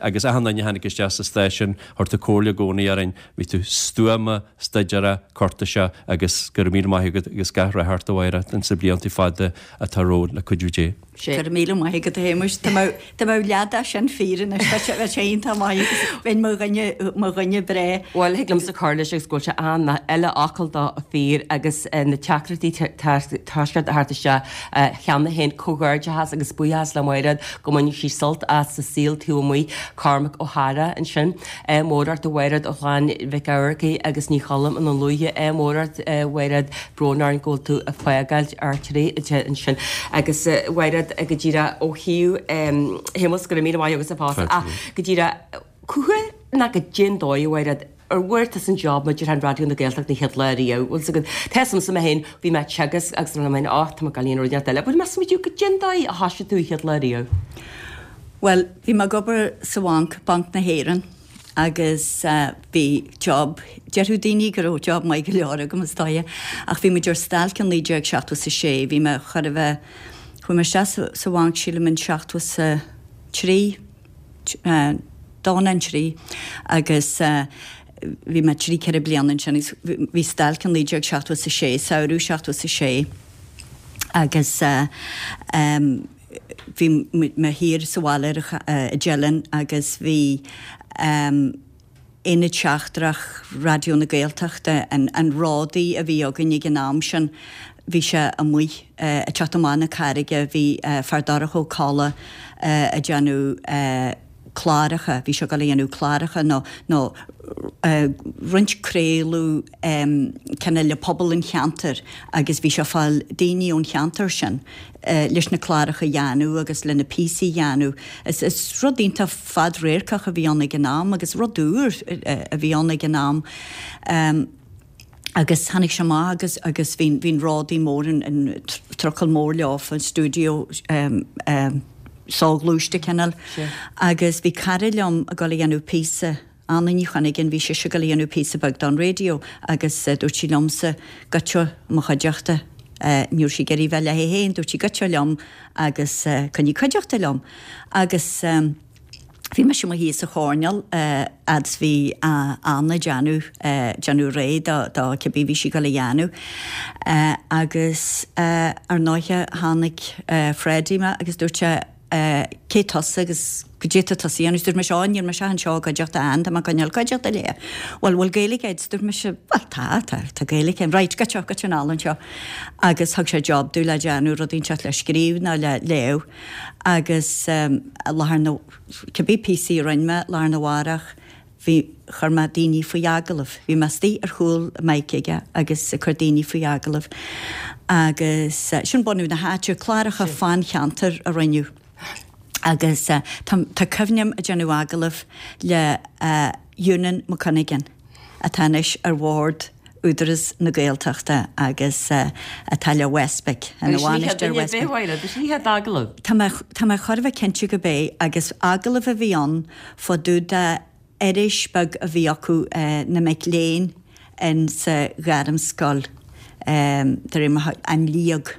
agus achan duine a tháinig isteach sa stáisiún, chuir tú comhairle i gcónaí orainn, bhí tú stuama, staidéarach, cúirtéiseach agus go raibh míle maith agat agus gach rath ort a Mhairéad ins na blianta fada atá romhat le cuidiú Dé. Go raibh míle maith agat a Shéamuis. Dá mbeadh dá mbeadh leath de sin fíor anois bheadh sé bheadh sé iontach maith agus bheinn mo dhuine mo dhuine breá. Bhuel thig liomsa cur leis agus go bhfuil sé an uile fhocal dó fíor agus na teachtaireachtaí toisc a theacht isteach cheana féin. Comhghairdeachas agus buíochas le Mairéad go mbainfidh sí sult as sa saol taobh amuigh. Cormac Ó hEadhra ansin. Ádh mór ort a Mhairéad ó Chlann Mhic Eamharcaigh agus Ní Choilm i nDún Lúiche. Ádh mór ort a Mhairéad, brón orainn go bhfuil tú ag fágáil RTÉ ansin. Agus a Mhairéad go díreach ó thaobh Shéamus, go raibh míle maith agatsa fosta ach go díreach cá huair nó goidé an dóigh a Mhairéad ar bhfuair tusa an job maidir le Raidió na Gaeltachta an chéad lá riamh? Bhfuil 's agat, tá 'fhios a'msa mé féin, bhí mé ag teagasc agus mé féin, oh, tá mé ag dul a dhéanamh rud inteacht eile. Bhuel, meas tú goidé an dóigh a thoisigh tú an chéad lá riamh? Bhuel, bhí mé ag obair sa bhanc, Banc na hÉireann, agus bhí job, déarfadh daoine go raibh job maith go leor agam is dóiche, ach bhí muid ar stailc in naoi déag seachtó is a sé, bhí mé chóir a bheith, chuaigh mé isteach sa bhanc sílim in seachtó is a trí, dó nó an trí agus bhí mé trí ceithre bliana ansin agus bhí stailc in naoi déag seachtó is a sé, samhradh seachtó is a sé agus bhí mé thiar sa bhaile ar i dTeileann agus bhí aonad seachtrach Raidió na Gaeltachta, an ródaí a bhí againn ag an am sin, bhí sé amuigh ag teacht amach na Carraige, bhí Feardorcha Ó Colla ag déanamh cláracha, bhí sé ag dul a dhéanamh cláracha nó nó roinnt craoladh cineál le pobal an cheantair agus bhí sé ag fáil daoine ón cheantar sin leis na cláracha a dhéanamh agus le na píosaí a dhéanamh. Is is rud iontach fadradharcach a bhí ann ag an am agus rud úr a bhí ann ag an am. Agus tháinig sé amach agus agus bhí bhí an ródaí mór an an trucail mór leofa an stiúideo soghluaiste cineál. Agus bhí cara liom ag dul a dhéanamh píosa, Anna Ní Chuinneagain, bhí sise ag dul a dhéanamh píosa beag don raidió agus dúirt sí liomsa goitse i mo chuideachta. Ní raibh sí ag iarraidh bheith léi féin, dúirt sí goitse liom agus coinnigh cuideachta liom. Agus. Bhí mise amuigh thíos sa choirnéal fhad is bhí Anna ag déanamh, déanamh réidh do, do cibé bhí sí ag dul a dhéanamh. Agus ar ndóighe tháinig Freddie mé agus dúirt sé cé tusa agus goidé tá tusa a dhéanamh? Dúirt mise, ó níl mise anseo i gcuideachta Ann, tá mé ag coinneáil cuideachta léi. Bhuel, bhfuil Gaeilge agat? Dúirt mise, bhuel tá, tá, tá Gaeilge agam. Right, goitse, goitse anall anseo. Agus thug sé job domh le déanamh rud inteacht le scríobh nó le léamh. Agus i láthair na, cibé píosaí a rinne mé lá arna mhárach, bhí, chuir mé daoine faoi agallamh. Bhí mé istigh ar chúl mic aige agus ag cur daoine faoi agallamh. Agus sin bunú na háite, cláracha fán cheantar a rinneadh. Agus tá, tá cuimhne agam ag déanamh agallamh le Eunan McCunnaghan atá anois ar bhord Údarás na Gaeltachta agus atá le Westbic, ina bhainisteoir Westbic. Tá mé, tá mé chóir a bheith cinnte gurb é agus agallamh a bhí ann fá dtaobh de iris beag a bhí acu na mic léinn in sa Ghairmscoil de réir mar An Liag.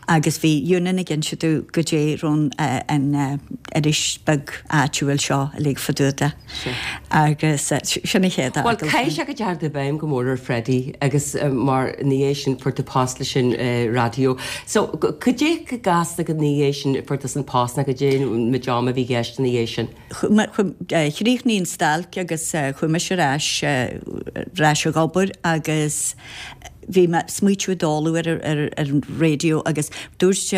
Agus bhí Eunan ag inse domh goidé raibh an iris beag áitiúil seo uilig fá dtaobh de. Agus sin an chéad Bhuel, caithfidh sé go ndeachaigh tú i bhfeidhm go mór ar Freddie agus mar ina dhiaidh sin fuair tú post leis an raidió. So, cad é go gasta ina dhiaidh sin fuair tú an post nó cad é an méid ama a bhí i gceist ina dhiaidh sin? Chríochnaigh an stailc agus chuaigh mise ar ais ar ais ag obair agus bhí mé smaoitiú ag dul ar ar an raidió agus dúirt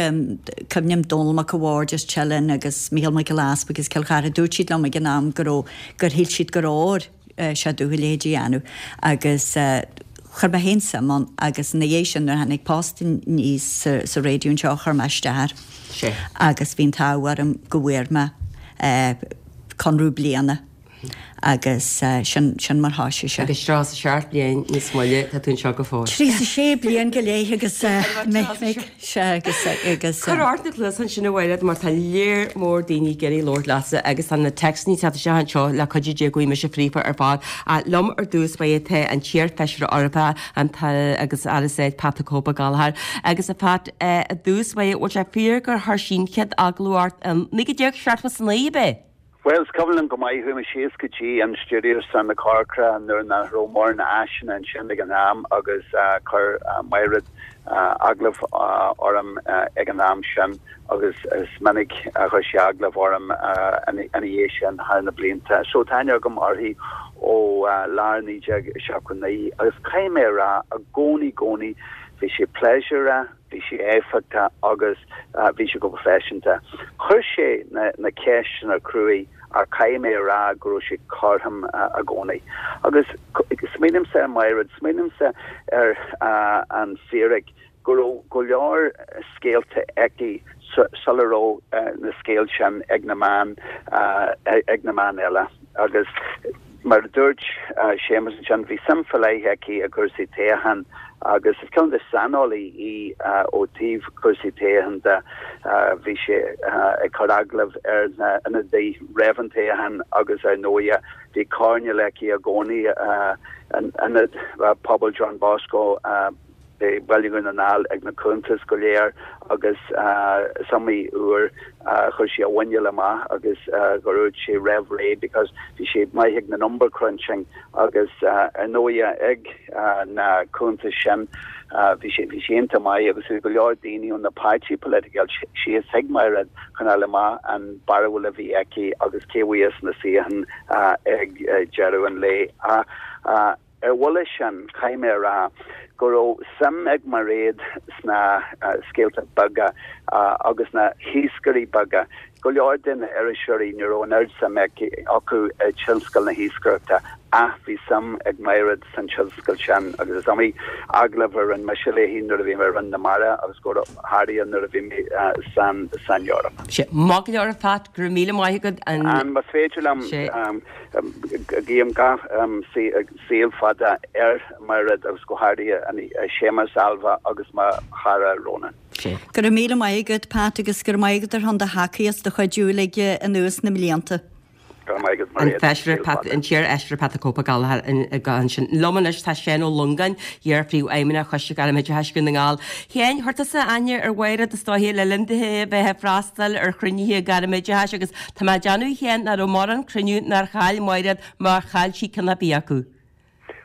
cuimhním Dónall Mac a' Bhaird as Teileann agus Mícheál Mac Giolla Easpaig as Cill Chartha, dúirt siad liom ag an am go raibh, gur shíl siad gur fhóir sé domh a leithéid a dhéanamh agus chuir mé féin suim ann agus ina dhiaidh sin nuair a tháinig post aníos sa raidió anseo chuir mé isteach air agus bhí an t-ádh orm go bhfuair mé conradh bliana. Agus sin, sin mar thoisigh sé. Agus tríocha is a seacht bliain níos moille tá tú anseo go fóill. Tríocha is a sé bliain go leith agus sea agus, agus. Cuir ort na cluasáin sin a Mhairéad mar tá léar mór daoine ag iarraidh labhairt leatsa agus tá na téacsanna ag teacht isteach anseo le cuidiú Dé go bhfaighidh mise fríofa ar fad. Liom ar dtús báire tá an t-iar-Fheisire Eorpach an agus Aire Stáit Pat the Cope Gallagher agus a Phat i dtús báire bhfuil sé fíor gur chuir sí an chéad agallamh ort in naoi déag seachtó is a naoi ab é? Bhuel, is cuimhin liom go maith, chuaigh mé síos go dtí an stiúideo san na Corcra nuair nach raibh mórán áiseanna ansin ag an am agus chuir Mairéad agallamh orm ag an am sin agus is minic a chuir sí agallamh orm ina dhiaidh sin thar na blianta. So tá aithne agam uirthi ó lár naoi déag seachtó a naoi agus caithfidh mé a rá i gcónaí, gcónaí bhí sé pléisiúrtha, Bhí sé éifeachtach agus bhí sé go proifisiúnta. Chuir sé na ceisteanna cruaidh ach caithfidh mé a rá go raibh sé cothrom i gcónaí. Agus smaoinímse ar Mhairéad, smaoinímse ar an fíric go raibh go leor scéalta aici sula raibh na scéalta sin ag na meáin ag na meáin eile. Agus mar a dúirt Séamus ansin, bhí suim faoi leith aici i gcúrsaí toghcháin agus is cineál de saineolaí í ó taobh cúrsaí toghcháin de. Bhí sí ag cur agallamh ar na ionadaithe roimh an toghchán agus ar ndóighe bhí coirnéal aici i gcónaí in Ionad Pobail John Bosco. i mBaile Dhún na nGall ag na cuntais go léir agus is iomaí uair a chuir sí a mhuineál amach agus gur dhúirt sí roimh ré because bhí sí maith ag na number crunching agus ar ndóighe ag na cuntais sin bhí sí bhí sí iontach maith agus bhí go leor daoine ó na páirtí political síos chuig Mairéad chun fháil amach an barúil a bhí aici agus cé bhuafas na suíocháin ag deireadh an lae. Ar bhuille sin, caithfidh mé a rá go raibh suim ag Mairéad sna scéalta beaga agus na hiascairí beaga. Go leor de na iriseoirí, ní raibh an oiread suim acu i dtionscal na hiascaireachta ach bhí suim ag Mairéad san tionscal sin agus is iomaí agallamh a rinne mise léi nuair a bhí mé i Rinn na Mara agus go háirithe nuair a bhí mé san san Eoraip. Sea, maith go leor a Phat, go raibh míle maith agat. An más féidir liom guím gach saol fada ar Mhairéad agus go háirithe Séamus, Ailbhe agus mo chara Ronan. Go raibh míle maith agat, Pat, agus go raibh maith agat ar shon do thacaíocht, do chuidiú uilig anuas na mblianta. Go raibh maith agat, An Mairéad. Feisire Pat, an t-iarFheisire Pat the Cope Ó Gallchóir ansin. Liom anois tá Seán Ó Longáin, iar-Phríomhfheidhmeannach Choiste Gairmoideachais Dhún na nGall. Sheáin, chuir tusa aithne ar Mhairéad is dóiche le linn di a bheith ag freastal ar chruinnithe gairmoideachais agus tá mé ag déanamh a Sheáin nach raibh mórán cruinniú nár chaill Mairéad má chaill sí ceann ar bith acu.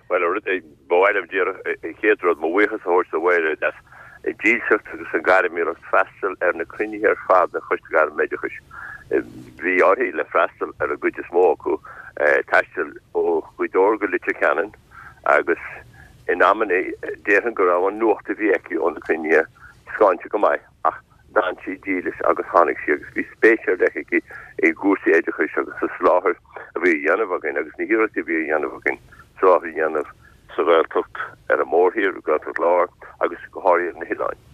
Bhuel, ba mhaith liom díreach an chéad rud, mo bhuíochas a thabhairt do Mhairéad as a dílseacht agus an ghairmiúlacht freastal ar na cruinnithe ar fad den Choiste Gairmoideachais. Bhí uirthi le freastal ar an gcuid is mó acu, taisteal ó Ghaoth Dobhair go Leitir Ceanainn agus in amanna déarfainn go raibh an nuacht a bhí aici ó na cruinnithe scáinte go maith ach d'fhan sí dílis agus tháinig sí agus bhí spéis ar leith aici i gcúrsaí oideachais agus sa soláthar a bhí á dhéanamh againn agus na hiarrachtaí a bhí á dhéanamh againn soláthar a dhéanamh sa Ghaeltacht ar an mórthír, Gaeltacht Láir agus go háirithe ar na hoileáin.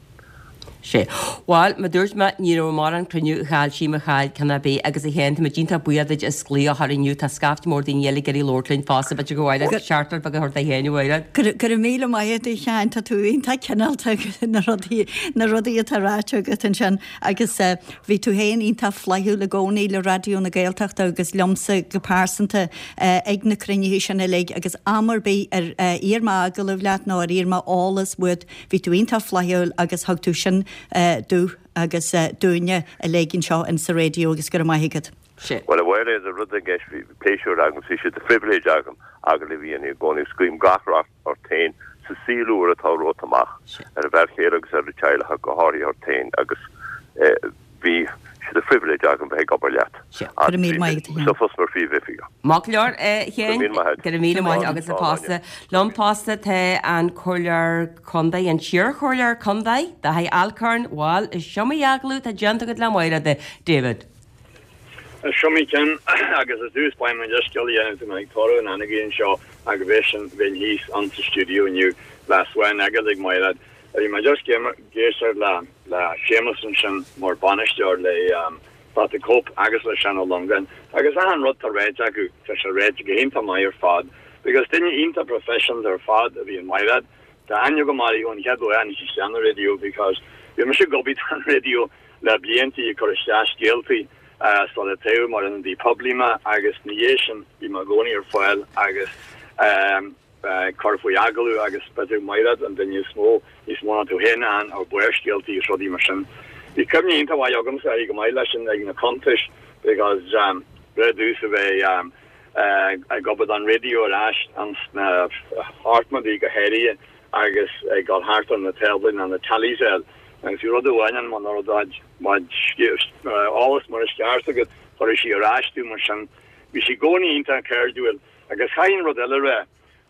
Sé. Bhuel, mar dúirt mé, ní raibh mórán cruinniú a chaill sí má chaill ceann ar bith agus a Sheáin, tá muid iontach buíoch duit as glaoch a chur inniu, tá scaifte mór daoine eile ag iarraidh labhairt linn fosta, b'fhéidir go bhfuil seachtar beag a thabhairt do Sheáin, a Mhairéad. Go raibh míle maith agat a Sheáin, tá tú iontach cineálta na rudaí na rudaí atá ráite agat ansin agus bhí tú féin iontach flaithiúil i gcónaí le Raidió na Gaeltachta agus liomsa go pearsanta ag na cruinnithe sin uilig agus am ar bith ar iarr mé agallamh leat nó ar iarr mé eolas uait, bhí tú iontach flaithiúil agus thug tú sin domh agus dúinne uilig anseo in sa raidió agus go raibh maith agat. Bhuel, a Mhairéad, an rud i gceist, bhí pléisiúr agam, bhí sé de phribhléid agam agallamh a dhéanamh i gcónaí agus guím gach rath ort féin sa saol úr atá romhat amach, ar an bhfear chéile agus ar an teaghlach ach go háirithe ort féin agus bhí sé de phribhléid agam bheith ag obair leat. Go raibh míle maith agat, a Sheáin. Sa phost mar phríomhoifigeach. Maith go leor, a Sheáin. Go raibh míle maith agat. Go raibh míle maith agat fosta. Liom fosta tá an Comhairleoir Contae, an t-iarChomhairleoir Contae, Dáithí Alcorn, bhuel, is iomaí agallamh atá déanta agat le Mairéad, David. Is iomaí ceann agus i dtús báire mo leithscéal a dhéanamh tá mé ag tórramh an anaigí anseo ach bheith sin bheinn thíos ann sa stiúideo inniu le swan agat ag Mairéad. Bhí mé just ag éisteacht le le Séamus ansin mar bainisteoir le Pat the Cope agus le Seán Ó Longáin agus achan rud tá ráite acu tá sé ráite go hiontach maith ar fad because duine iontach professional ar fad a bhí in Mairéad. Tá aithne agam uirthi ón chéad lá a tháinig sí isteach an raidió because bhí mise ag obair don raidió le bliantaí ag cur isteach scéaltaí sula toghadh mar ionadaí poiblí mé agus ina dhiaidh sin bhí mé i gcónaí ar fáil agus ag cur faoi agallamh agus b'fhéidir Mairéad an duine is mó, níos mó ná tú féin ann ar Barrscéalta agus rudaí mar sin. Bhí cuimhne iontach mhaith agamsa uirthi go maith leis sin ag na cuntais because rud domhsa bheith ag obair don raidió ar ais ins na hochtóidí go háirithe agus ag dul thart ar na táblaí nó na tallies a fháil agus bhí rud amháin ann muna raibh eolas mar is ceart agat chuirfeadh sí ar ais tú mar sin. Bhí sí i gcónaí iontach cairdiúil agus chaithfinn rud eile a rá.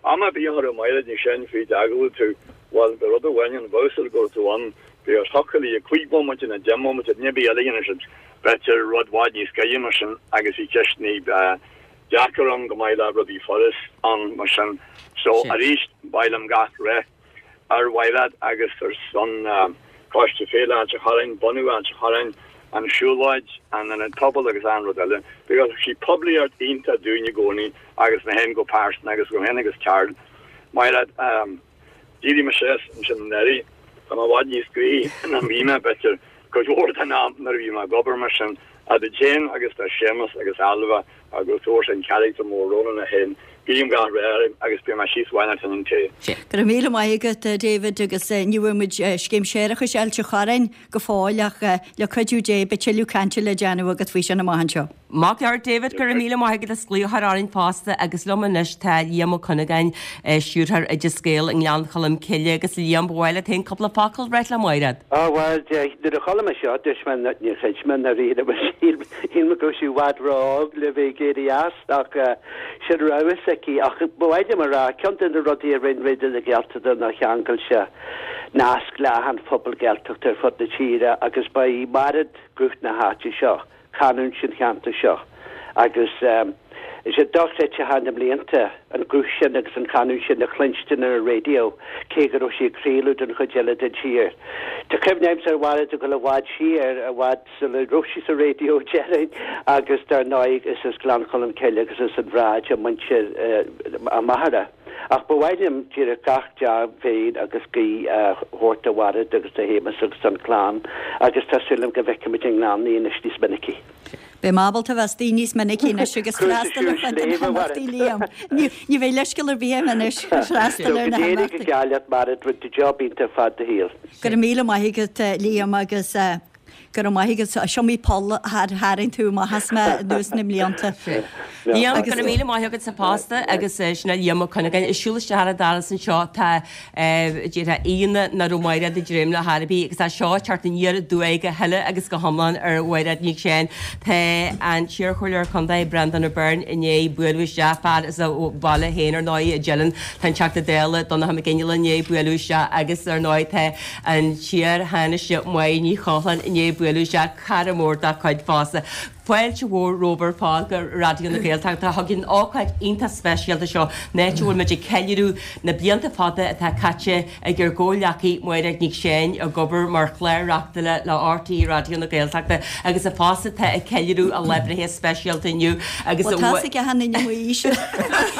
Am ar bith a chuirfeadh Mairéad ní sin faoi d'agallamh tú, bhuel, bhí rud amháin ann, bheadh súil go raibh tú ann, bhí ar thiocfadh léi cúig bomaite nó deich mbomaite, duine ar bith eile a dhéanfadh siad, b'fhéidir rud i bhfad níos gaire mar sin agus bhí ceisteanna deacair ann go maith le rudaí furast ann mar sin. So, arís, ba mhaith liom gach rath ar Mhairéad agus ar son Coiste Féile Ailt an Chorráin, bunú Ailt an Chorráin, an siúlóid, an ionad pobail agus achan rud eile because thug sí poiblíocht iontach dúinn i gcónaí agus mé féin go pearsanta agus go féin agus Carl. Mairéad, d'éirigh mé síos ansin anuraidh, tá mé i bhfad níos gnoithí ná bhí mé b'fhéidir cuid mhór den am nuair a bhí mé ag obair mar sin, a duit féin agus do Séamus agus Ailbhe agus tabhairt an charachtar mór Rónán é féin. Guím gach rath oraibh agus beidh mé síos bhain ar an tae. Go raibh míle maith agat David agus ní bhfuair muid scéim séarachais Ailt an Chorráin go fóill ach le cuidiú Dé beidh tuilleadh cainte le déanamh agat faoi sin amach anseo. Maith go leor David, go raibh míle maith agat as glaoch a chur orainn fosta agus liom anois tá Liam Ó Cuinneagáin, Stiúrthóir Oideas Gael i nGleann Cholm Cille agus Liam, ba mhaith leat féin cúpla focal a ráit le Mairéad? Á bhuel, nuair a chuala mé seo dúirt mé níor chreid mé i ndáiríre shíl mé go raibh sí i bhfad ró-óg le bheith ag éirí as ach sin rogha s'aici. Ach ba mhaith liom a rá, ceann de na rudaí a rinne Raidió na Gaeltachta ná cheangail sé nasc le achan phobal Gaeltachta ar fud na tíre agus ba í Mairéad guth na háite seo, canúint an cheantair seo agus is é dochreidte thar na mblianta an guth sin agus an chanúint sin a chluinstin ar an raidió cé go raibh sí ag craoladh don chuid eile den tír. Tá cuimhne agamsa ar Mhairéad ag dul i bhfad siar, i bhfad sula raibh sí sa raidió déarfainn agus dar ndóigh is as Gleann Cholm Cille agus as an Bhráid a muintir a máthara. Ach ba mhaith liom díreach gach dea-mhéin agus guí a thabhairt do Mhairéad agus do Shéamus agus don chlann agus tá súil agam go bhfeicfimid i nGleann í anois níos minicí. Beidh mé ábalta a bheith istigh níos minicí anois agus freastal ar chuid de na himeachtaí, Liam. Ní bheidh leithscéal ar bith agam anois freastal ar na himeachtaí. Go n-éirí go geal leat Mairéad, rinne tú job iontach fad do shaoil. Go raibh míle maith agat Liam agus go raibh maith agat. Is iomaí poll a tharraing tú amach as mé anuas na mblianta. Liam, go raibh míle maith agatsa fosta agus sin é Liam Ó Cuinneagáin. Ag siúl isteach an doras anseo tá déarfá aíonna nach raibh Mairéad ag dréim le chor ar bith agus tá seo ag teacht aniar aduaidh go huile agus go hiomlán ar Mhairéad Nic Seáin. Tá an t-iarchomhairleoir contae Breandán Ó Beirn i ndiaidh bualadh isteach, fear as a bhaile féin ar ndóigh i dTeileann. Tá an Teachta Dála Donncha Mac Fhionnghaile i ndiaidh bualadh isteach agus ar ndóigh tá an t-iar-Thánaiste Máire Ní Chochláin i ndiaidh bualadh isteach, cara mór dá cuid fosta. Fáilte mhór romhaibh ar fad go Raidió na Gaeltachta. Chuig an ócáid iontach speisialta seo, an áit a bhfuil muid ag ceiliúradh na blianta fada atá caite ag ár gcomhghleacaí Máiréad Nic Seáin ag obair mar chlár-reachtaire le RTÉ Raidió na Gaeltachta agus fosta atá ag ceiliúradh a lá breithe speisialta inniu agus Bhuel, tá's ag achan duine m'aois.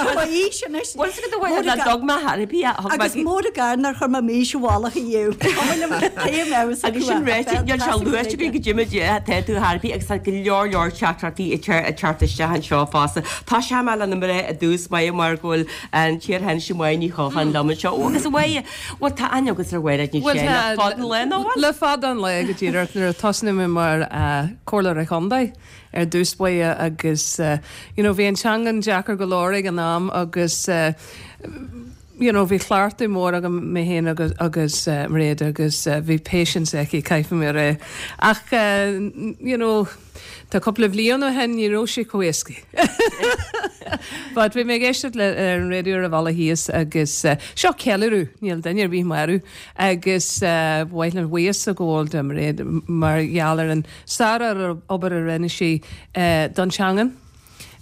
M'aois anois. Bhuel, is go bhfuil nach dtug mé thar bith a thug mé. Agus mór an gar nár chuir mé m'aois i bhfolach ariamh. Cuma liom cé mbeadh Agus sin ráite, níl sé luaite againn go dtí muid tá tú thar bith agus tá go leor leor teachtaireachtaí ag teacht isteach anseo fosta. Tosóidh mé le na mná i dtús báire mar go bhfuil an t-iar-Thánaiste Máire Ní Chochláin liom anseo. Ó agus a Mháire, bhuel tá aithne agat ar Mhairéad Nic Seáin le fada an lá nó bhfuil? Le fada an lá go díreach nuair a tosnaigh mé mar comhairleoir an chontae ar dtús báire agus you know bhí an teangain deacair go leor ag an am agus you know bhí cleachtadh mór agam mé féin agus agus Mairéad agus bhí patience aici caithfidh mé a rá. Ach you know tá cúpla bhliain ó shin ní raibh sé chomh éasca. But bhí mé ag éisteacht le ar an raidió ar an bhealach thíos agus seo ceiliúradh, níl duine ar bith marbh agus ba mhaith liom buíochas a ghabháil do Mairéad mar gheall ar an sár-obair a rinne sí don teangain.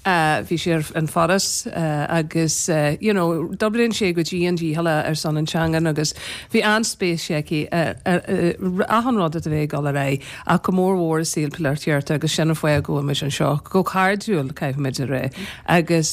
Bhí sí ar an Foras agus you know d'oibrigh sí go dian dícheallach ar son an teangan agus bhí an-spéis aici ar achan rud a bhí ag dul ar aghaidh ach go mór mhór i saol polaitíochta agus sin an fáth go bhfuil muid anseo go cairdiúil caithfimid a rá agus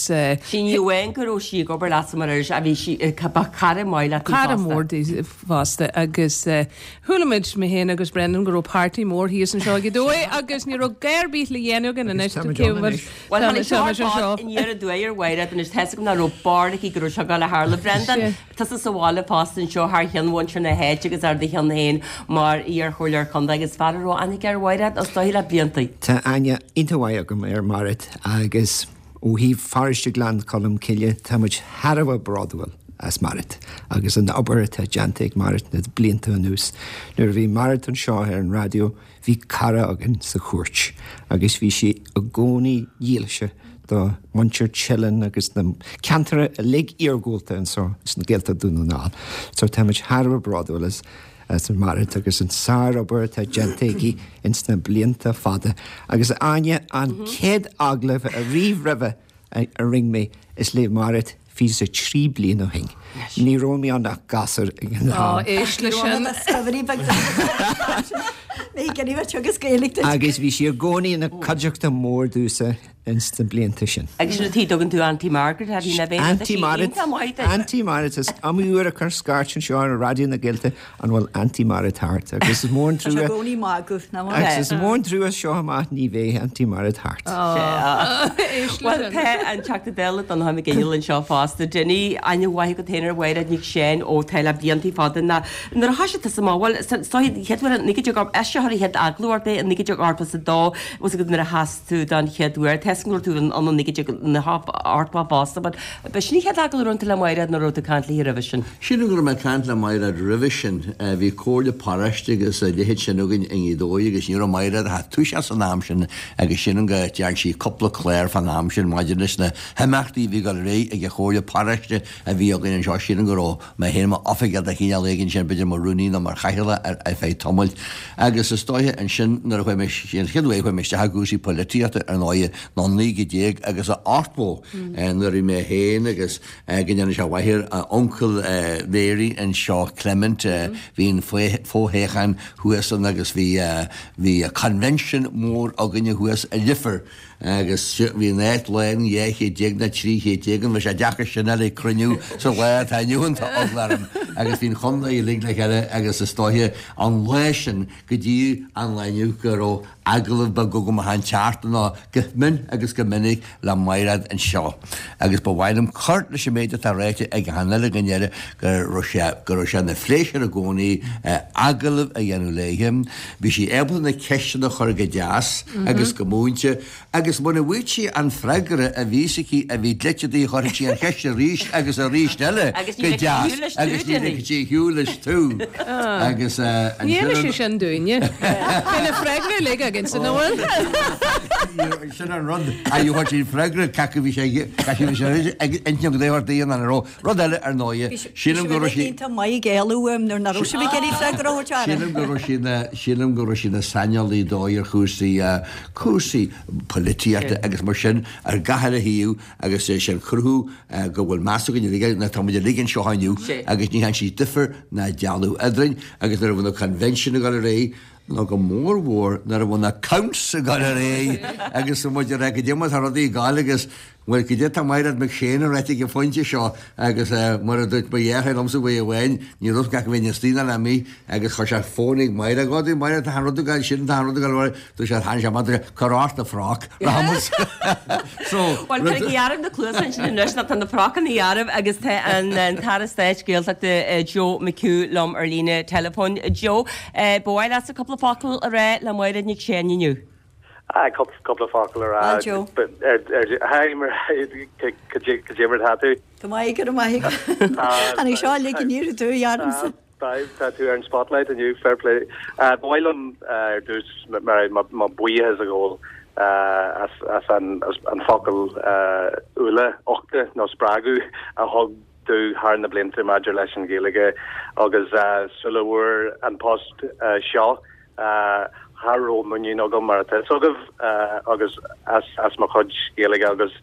Sí ní amháin go raibh sí ag obair leatsa mar iriseoir ach bhí sí ba cara maith leat í Cara fosta. mór di fosta agus chuala muid mé féin agus Brendan go raibh party mór thíos anseo ag a dó agus ní raibh gá ar bith le dhéanamh againn anois Agus táimid ann anois. Bhuel, tháinig seo ar fad aniar aduaidh ar Mhairéad anois, tá's agam nach raibh barúil aici go raibh seo ag gabháil a tharlú. Brendan, tusa sa bhaile fosta anseo thar cheann mhuintir na háite agus ar do cheann féin mar iar-chomhairleoir contae agus fear a raibh aithne aige ar Mhairéad is dóigh le blianta. Tá aithne iontach mhaith agam ar Mhairéad agus ó thaobh pharóiste Ghleann Cholm Cille tá muid thar a bheith bródúil as Mairéad agus an obair atá déanta ag Mairéad na blianta anuas. Nuair a bhí Mairéad anseo ar an raidió Bhí cara againn sa chúirt agus bhí sí i gcónaí dílse do mhuintir Teileann agus na ceantair uilig iargúlta anseo sna Gaeltacht Dún na nGall. So táimid thar a bheith bródúil as as Mairéad agus an sár-obair atá déanta aici ins na blianta fada. Agus Áine, an chéad agallamh ariamh roimhe a rinne mé is le Mairéad fiche is a trí bliain ó shin. Ní raibh mé ann ach gasúr ag an Á, am. éist leis sin. Agus bhí sí i gcónaí ina cuideachta mór domhsa ins na blianta sin. Agus sin an tuige a dtugann tú Auntie Margaret uirthi, nach ea? Auntie Mairéad, Auntie Mairéad, is iomaí uair a cuireadh scairt anseo ar Raidió na Gaeltachta an bhfuil Auntie Mairéad thart agus is mór an Tá sé i trua gcónaí ag magadh, nach bhfuil? agus is mór an trua seo amach ní bheidh Auntie Mairéad thart. Bhuel, tá an Teachta Dála Donnchadh Mac Fhionnghaile anseo fosta. Dinny, aithne mhaith agat féin ar Mhairéad Nic Seáin ó tá le blianta fada ná nuair a thoisigh tusa amach, bhuel, is dóigh an chéad uair in naoi déag eiseach ar an chéad agallamh ort é in naoi déag ochtó is a dó, bhfuil fhios agat nuair a sheas tú don chéad uair, tá fhios agam go raibh tú ann in naoi déag ochtó fosta, but ba sin an chéad agallamh a rinne tú le Mairéad nó raibh tú ag caint léi roimhe sin? Sílim go raibh mé ag caint le Mairéad roimhe sin. Bhí comhairle paróiste agus a leithéid sin againn i nGaoth Dobhair agus ní raibh Mairéad ach ag toiseacht san am sin agus sílim go dtearn sí cúpla clár fán am sin maidir leis na himeachtaí a bhí ag dul ar aghaidh ag an chomhairle paróiste a bhí againn anseo. Sílim go raibh mé féin mar oifigeach de chineál éigin sin, b'fhéidir mar rúnaí nó mar chathaoirleach ar ar feadh tamaill. Agus is dóiche ansin nuair a chuaigh mé, an chéad uair a chuaigh mé isteach i gcúrsaí poilitíochta ar ndóighe ná naoi déag agus a ochtó nuair a bhí mé féin agus go ndéana sé mhaith air uncail Mary anseo Clement bhí an fothoghchán thuas ann agus bhí bhí convention mór againne thuas i Leifear agus bhí an áit lán dhá chéad déag nó trí chéad déag an bhí sé deacair sin a le cruinniú sa lá atá inniu ann tá eagla orm agus bhí an chontae uilig le chéile agus is dóiche an lá sin go dtí an lá inniu go raibh agallamh beag agam achan tseachtain nó go mion agus go minic le Mairéad anseo agus ba mhaith liom cur leis an méid atá ráite ag an eile go ndeireadh go raibh sé go raibh sé ina phléisiúr i gcónaí agallamh a dhéanamh léi. Bhí sí ábalta na ceisteanna a chur go deas agus go múinte agus muna bhfuair sí an freagra a bhí aici a bhí dlite di chuirfeadh sí an cheist arís agus arís eile go deas agus ní ligfeadh sí ar shiúl leis tú agus Ní dhéanfaidh sé sin dúinne. Bhí na freagra uilig againn san bhfuil. Sin an rud a dheochair sí freagra cad bhí sé ag intinne go dtéir daon an ró. Rud eile ar ndóighe sílim go raibh sí Tá maith géalú nuair nach raibh sí ag iarraidh freagra a thabhairt Sílim go raibh sí ina sílim go raibh sí ina saineolaí dóigh ar chúrsaí cúrsaí polaitíochta agus mar sin ar gach uile thaobh agus é sin cruthú go bhfuil meas againn uilig ná tá muid uilig anseo inniu agus ní dhearna sí difear ná dealú eadrainn agus nuair a bhí na convention ag dul ar aghaidh nó go mór mhór nuair a bhí na counts ag dul ar aghaidh agus muid ag rá goidé mar tá rudaí ag gabháil agus bhuel goidé tá Mairéad McShane a ráite ag an phointe seo agus mar a dúirt mo dheartháir liomsa uair amháin ní raibh gach duine istigh ná amuigh agus chuir sé fón ag Máire go dtí Máire tá an rud ag gabháil sin tá an rud ag gabháil dúirt sé tháinig sé amach dúirt sé cuir ort do froc rachaimid so Bhuel cuir ag gearradh na cluasa ansin anois ná tá na frocanna garbh agus tá an an tAire Stáit Gaeltachta Joe McHugh liom ar líne teileafóin. Joe, ba mhaith leatsa cúpla focal a rá le Máire Nic Sheáin inniu. Ah, cúpla focal a rá. Bhuel Joe. Hi, cad é mar atá tú? Go maith, go raibh maith agat. Tháinig seo uilig aniar aduaidh ormsa. Tá tú ar an spotlight inniu, fair play. Ba mhaith liom ar dtús mo bhuíochas a ghabháil as as an an focal úlla uchta nó spreagadh a thug tú thar na blianta maidir leis an Ghaeilge agus sula bhfuair an post seo cha raibh muinín agam mar atá fhios agaibh agus as as mo chuid Gaeilge agus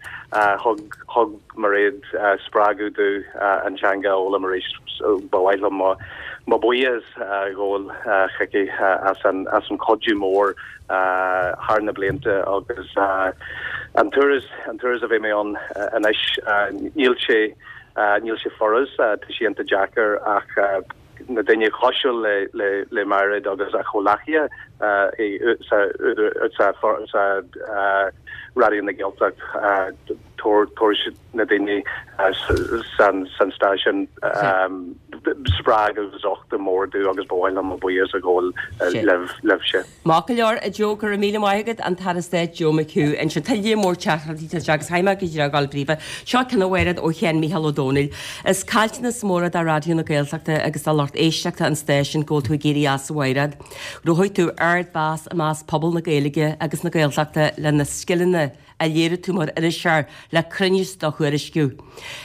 thug thug Mairéad spreagadh domh an teanga a fhoghlaim arís so ba mhaith liom mo mo bhuíochas a ghabháil chuici as an as an chuidiú mór thar na blianta agus an turas an turas a bhí mé ann anois níl sé níl sé furast tá sé iontach deacair ach na daoine cosúil le le le Mairéad agus a chomhleacaithe sa sa sa Raidió na Gaeltacht tabharfaidh na daoine san san stáisiún spreagadh agus uchtach mór domh agus ba mhaith liom mo bhuíochas a ghabháil libh libhse. Maith go leor, a Joe, go raibh míle maith agat, an tAire Stáit Joe McHugh. Ansin tuilleadh mór teachtaireachtaí tá agus chaithfidh mé go díreach a ghabháil príomha. Seo ceann a Mhairéad ó Sheán Mícheál Ó Domhnaill. Is caillteanas mór é do Raidió na Gaeltachta agus do lucht éisteachta an stáisiúin go bhfuil tú ag éirí as a Mhairéad. Ghnóthaigh tú ardmheas i measc pobal na Gaeilge agus na Gaeltachta le na scileanna a léirigh tú mar iriseoir le cruinneas do thuairisciú.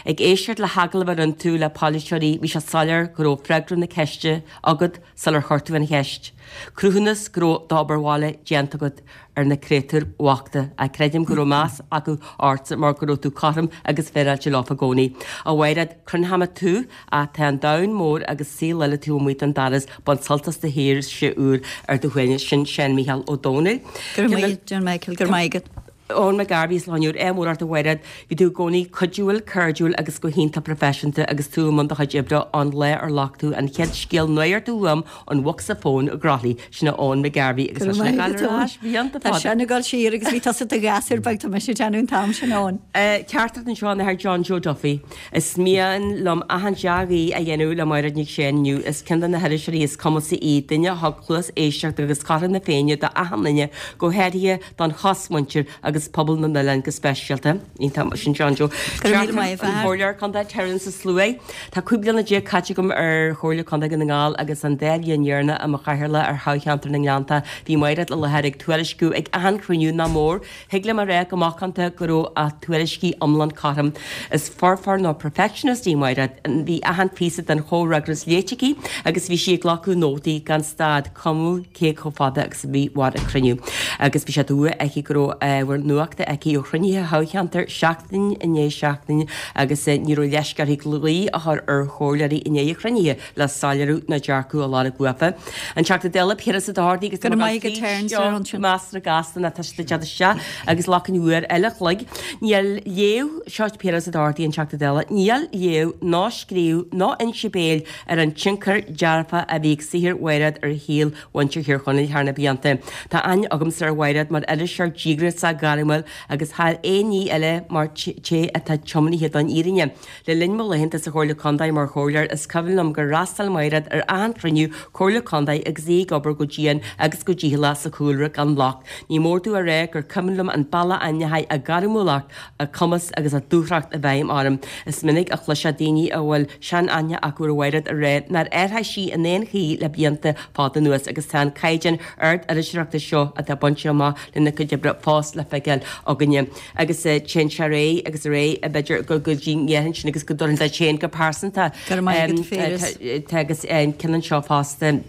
Ag éisteacht le hagallamh a rinne tú le polaiteoirí bhí sé soiléir go raibh freagra na ceiste agat sular chuir tú an cheist. Cruthúnas go raibh d'obair bhaile déanta agat ar na créatúir bhochta ach creidim go raibh meas acu ortsa mar go raibh tú cothrom agus féaráilte leo i gcónaí. A Mhairéad, cluinfimid tú ach tá an domhan mór agus saol eile taobh amuigh den doras, bain sult as do shaoirse úr ar do shuaimhneas. Sin Seán Mícheál Ó Domhnaill. Go raibh maith John Michael, go raibh maith agat. Eoin McGarvey is lánúr é mór ort a Mhairéad. Bhí tú i gcónaí cuidiúil, cairdiúil agus go hiontach proifisiúnta agus tú i mbun do chuid oibre ón lá ar ghlac tú an chéad scéal nuachta uaim ón bhocsa fóin i gCroithlí. Sin é Eoin McGarvey agus Go tá raibh sin ag maith gabháil agat, ar Eoin. ais blianta Tá fada. sin ag dul siar agus bhí tusa i do ghasúr beag tá mise ag déanamh an t-am sin Eoin. Teachtaireacht anseo ón Athair John Joe Duffy. Is mian liom achan dea-ghuí a dhéanamh le Máiréad Nic Sheáin inniu. Is ceann de na hiriseoirí is cumasaí í, duine a thug cluas éisteachta agus cothrom na Féinne do achan duine, go háirithe don chosmhuintir agus pobal na n-oileán go speisialta. Iontach sin John Joe. Go raibh míle maith An agat. Comhairleoir Contae Terence Ó Sluaighe. Tá cúig bliana déag caite agam ar Chomhairle Contae Dhún na nGall agus an dá bhliain dheireanach i mo chathaoirleach ar thoghcheantar na nGleannta. Bhí Máiréad i láthair ag tuairisciú ag achan chruinniú nach mór. Thig liom a rá go macánta go raibh a tuairiscí iomlán cothrom. Is foirfeoir nó perfectionist í Máiréad. Bhí achan phíosa den chomhfhreagras léite aici agus bhí sí ag glacadh nótaí gan stad, cuma cé chomh fada agus a bhí mhair an cruinniú. Agus bhí sé dua aici go raibh ábhar nuachta aici ó chruinnithe thoghcheantair seachtain i ndiaidh seachtaine agus ní raibh leisce uirthi glao a chur ar chomhairleoirí i ndiaidh an chruinnithe le soiléiriú nó dearcadh a lorg uafa. An Teachta Dála Piaras Ó Dochartaigh agus Go raibh maith agat Terence ar an sin. Measartha gasta ná tá siad ag teacht isteach agus lachain uair eile a chloig. Níl léamh, seo Piaras Ó Dochartaigh an Teachta Dála, níl léamh ná scríobh ná inse béil ar an tionchar dearfach a bhí ag saothar Mhairéad ar shaol mhuintir Thír Chonaill thar na blianta. Tá aithne agamsa ar Mhairéad mar iriseoir díograiseach gairmiúil agus thar aon ní eile mar té atá tiomnaithe don fhírinne. Le linn mo laethanta sa Chomhairle Contae mar chomhairleoir is cuimhin liom gur fhreastail Mairéad ar achan chruinniú Comhairle Contae agus í ag obair go dian agus go dícheallach sa chúlra gan locht. Ní mór domh a rá gur cuimhin liom an bealach a ndeachaigh a gairmiúlacht, a cumas agus a dúthracht i bhfeidhm orm. Is minic a chloisfeá daoine a bhfuil sean-aithne acu ar Mhairéad a rá nár athraigh sí in aon chaoi le blianta fada anuas agus tá an caighdeán ard iriseoireachta seo atá bainte amach lena cuid oibre fós le feiceáil againne. Agus téann sé ar aghaidh agus ar aghaidh b'fhéidir go go dtí an sin agus go dturann duit féin go pearsanta. Go raibh maith agat, Piaras. Tá agus an ceann anseo fosta.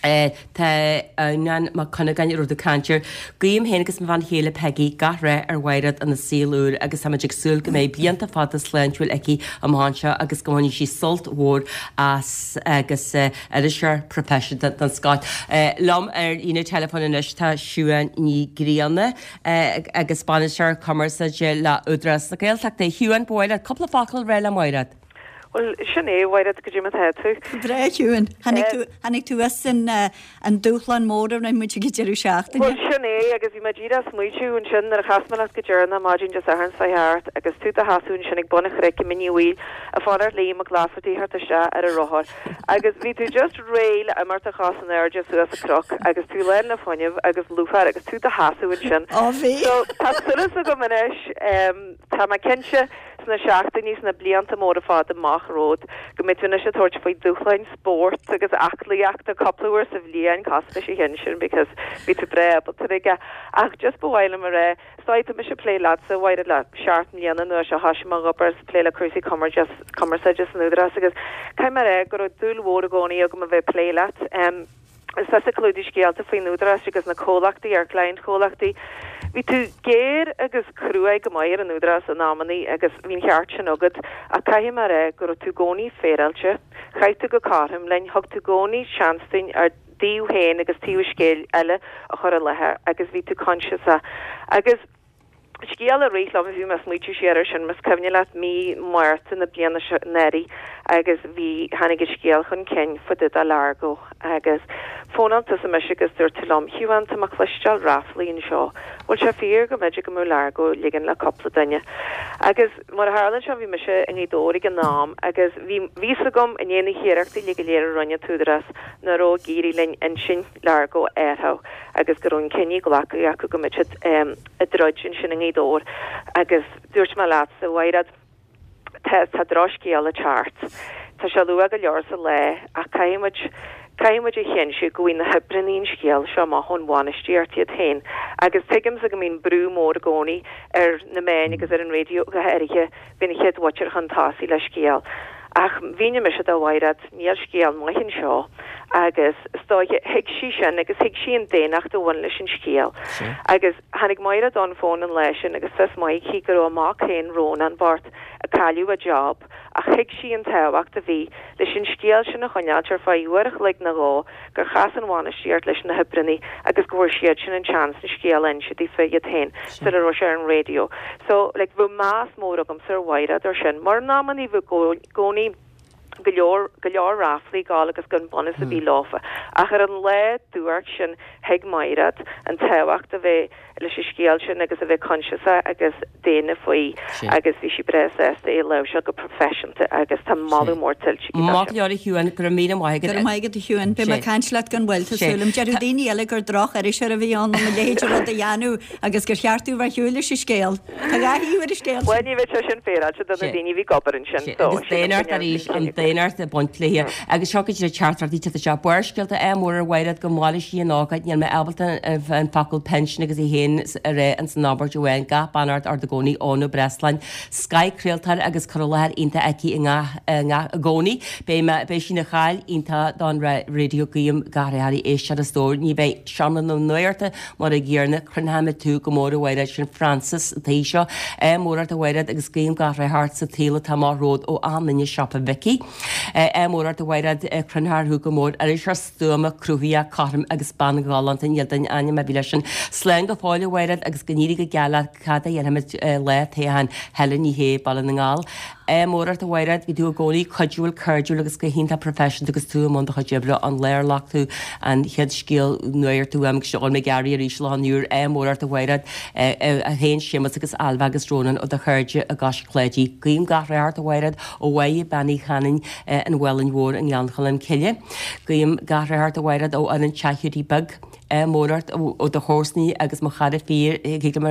Tá Adhamhnán Mac Cuinneagáin a raibh tú ag caint air. Guím féin agus mo bhean chéile Peggy gach rath ar Mhairéad ina saol úr agus táimid ag súil go mbeidh blianta fada sláintiúil aici amach anseo agus go mbainfidh sí sult mhór as agus iriseoir proifisiúnta den scoth. Liom ar líne teileafóin anois tá Siubhán Ní Ghrianna agus bainisteoir cumarsáide le Údarás na Gaeltachta. Shiubhán, ba mhaith leat cúpla focal a rá le Mairéad. Bhuel, sin é, Mhairéad, goidé mar atá tú. Breá, Shiubhán. Tháinig tú, tháinig tú as an, an dúshlán mór a rinne muid ag an deireadh seachtaine. Bhuel, sin é, agus bhí mé díreach ag smaoitiú ansin nuair a chas mé leat go deireanach maidin Dé Sathairn seo thart agus tú do sheasamh ansin ag bun an chnoic i Mín Uí Bhaoill ag fanacht Liam Mac Laifeartaigh theacht isteach ar a rothar agus bhí tú just réidh le imeacht a chos in airde suas an cnoc agus tú lán le fuinneamh agus lúcháir agus tú do sheasamh ansin. Ó bhí. So, tá súil agam anois, tá mé cinnte sna seachtainí, sna blianta móra fada amach romhat, go mbeidh tú anois ag tabhairt faoi dúshláin spóirt agus aclaíochta cúpla uair sa bhliain, cosúil leis an cheann sin because bhí tú breá ábalta aige. Ach just ba mhaith liom a rá, is dóigh, tá mise ag plé leatsa, a Mhairéad, le seacht mbliana anuas ó thoisigh mé ag obair is ag plé le cúrsaí cumarsáide san Údarás agus caithfidh mé a rá go raibh dúil mhór i gcónaí agam a bheith ag plé leat. Is tusa ag clúdú scéalta faoin Údarás agus na comhlachtaí, ár gcliantchomhlachtaí. Bhí tú géar agus cruaidh go maith ar an Údarás in amannaí agus bhí an cheart sin agat ach caithfidh mé a rá go raibh tú i gcónaí féaráilte, chaith tú go cothrom linn, thug tú i gcónaí seans dúinn ár dtaobh féin agus taobh an scéil eile a chur i láthair agus bhí tú coinsiasach. Agus. Scéal a rith liom, bhí mé ag smaoitiú siar air sin, más cuimhin leat mí Márta na bliana seo anuraidh agus bhí, tháinig an scéal chun cinn fá dtaobh de Largo agus fónáil tusa mise agus dúirt tú liom, Shiubhán, tá mé ag cloisteáil ráflaí anseo, bhfuil sé fíor go mb'fhéidir go mbeadh Largo ag ligean le cúpla duine? Agus mar a tharlaíonn sé bhí mise i nGaoth Dobhair ag an am agus bhí, bhí fhios agam i ndiaidh na hiarrachtaí uilig go léir a rinne an tÚdarás nach raibh ag éirí linn intinn Largo a athrú agus go raibh an cinneadh glactha acu go mbeadh siad ag troid ansin i nGaoth Dobhair agus dúirt mé leatsa, a Mhairéad, tá, tá drochscéal ag teacht. Tá sé luath go leor sa lá ach caithfidh muid, caithfidh muid a chinntiú go bhfaighidh na hoibreannaí an scéal seo amach ón bhainistíocht iad féin agus tuigimse go mbíonn brú mór i gcónaí ar na meáin agus ar an raidió go háirithe bheith na chéad mhuintir chun tosaigh le scéal. Ach mhínigh mise do Mhairéad, níl scéal maith anseo agus is dóiche, thuig sí sin agus thuig sí an daonnacht a bhain leis an scéal. Agus tháinig Mairéad on phone an lá sin agus fios maith aici go raibh a mac féin, Rónán bocht, ag cailleadh a job ach thuig sí an tábhacht a bhí leis an scéal sin a choinneáilt ar feadh uair a chloig nó dhó gur chas an bhainistíocht leis na hoibreannaí agus go bhfuair siadsan an seans an scéal a inse daofa iad féin sula raibh sé ar an raidió. So, like, bheadh meas mór agamsa ar Mhairéad ar sin, mar in amannaí bheadh i gcónaí go leor, go leor ráflaí ag gabháil agus gan bunús ar bith leofa. Ach ar an lá duairc sin thuig Mairéad an tábhacht a bheith leis an scéal sin agus a bheith coinsiasach agus daonna faoi agus bhí sí breá sásta é a láimhseáil go proifisiúnta agus tá moladh mór tuillte aici dó Maith sin. go leor a Shiubhán, go raibh míle maith agat. Go raibh maith agat a Shiubhán. Beidh mé ag caint leat gan mhoill, tá súil agam. Déarfadh daoine eile gur droch-iriseoir a bhí ann a leithéid de rud a dhéanamh agus gur cheart dom bheith ar shiúl leis an scéal. Tá dhá thaobh ar an scéal sin. Bhuel ní bheadh sé sin féaráilte do na daoine a bhí ag obair ansin so Agus daonnacht arís, an daonnacht ag baint léi. Agus seo go dtí teachtaireachtaí tite seo. Barrscéalta ádh mór ar Mhairéad go maire sí an ócáid, níl mé ábalta an focal pinsean agus í féin féin a rá ins an abairt amháin, gach beannacht ort i gcónaí Eoin Ó Breasláin. Scoth-chraoltóir agus cur i láthair iontach aici i ngach i ngach i gcónaí. Beidh mé beidh sí ina chaill iontach don raidió guím gach rath uirthi éisteoir a stór. Ní bheidh seomra na nuachta mar a gcéanna Croinneoimid tú go mór a Mhairéad sin Frances an tí seo. Ádh mór ort a Mhairéad agus guím gach rath ort sa tsaol atá amach romhat ó achan duine i siopa Mhicí. Ádh mór ort a Mhairéad croinneofar thú go mór iriseoir stuama cruthaitheach cothrom agus bean ghalánta níl duine ainm a bhí leis sin. Slán go fóill a Mhairéad agus go n-éirí go geal leat cad a dhéanfaimid lá toghcháin Helen Ní Shé Baile na nGall. Ádh mór ort a Mhairéad, bhí tú i gcónaí cuidiúil, cairdiúil agus go hiontach professional agus tú i mbun do chuid oibre an lá ar ghlac tú an chéad scéal nuachta uaim agus seo mé ag éirí arís lá an úr. Ádh mór ort a Mhairéad, a féin Séamus agus Ailbhe agus Rónán ó do chairde i gCois Cláidí. Guím gach rath ort a Mhairéad ó Mháire Bean Uí Chanainn an Mhálainn Mhór i nGleann Cholm Cille. Guím gach rath ort a Mhairéad ó fhoireann Teach Hiúdaí Beag. Ádh mór ort ó do chomharsanaí agus mo chara fíor, thig liom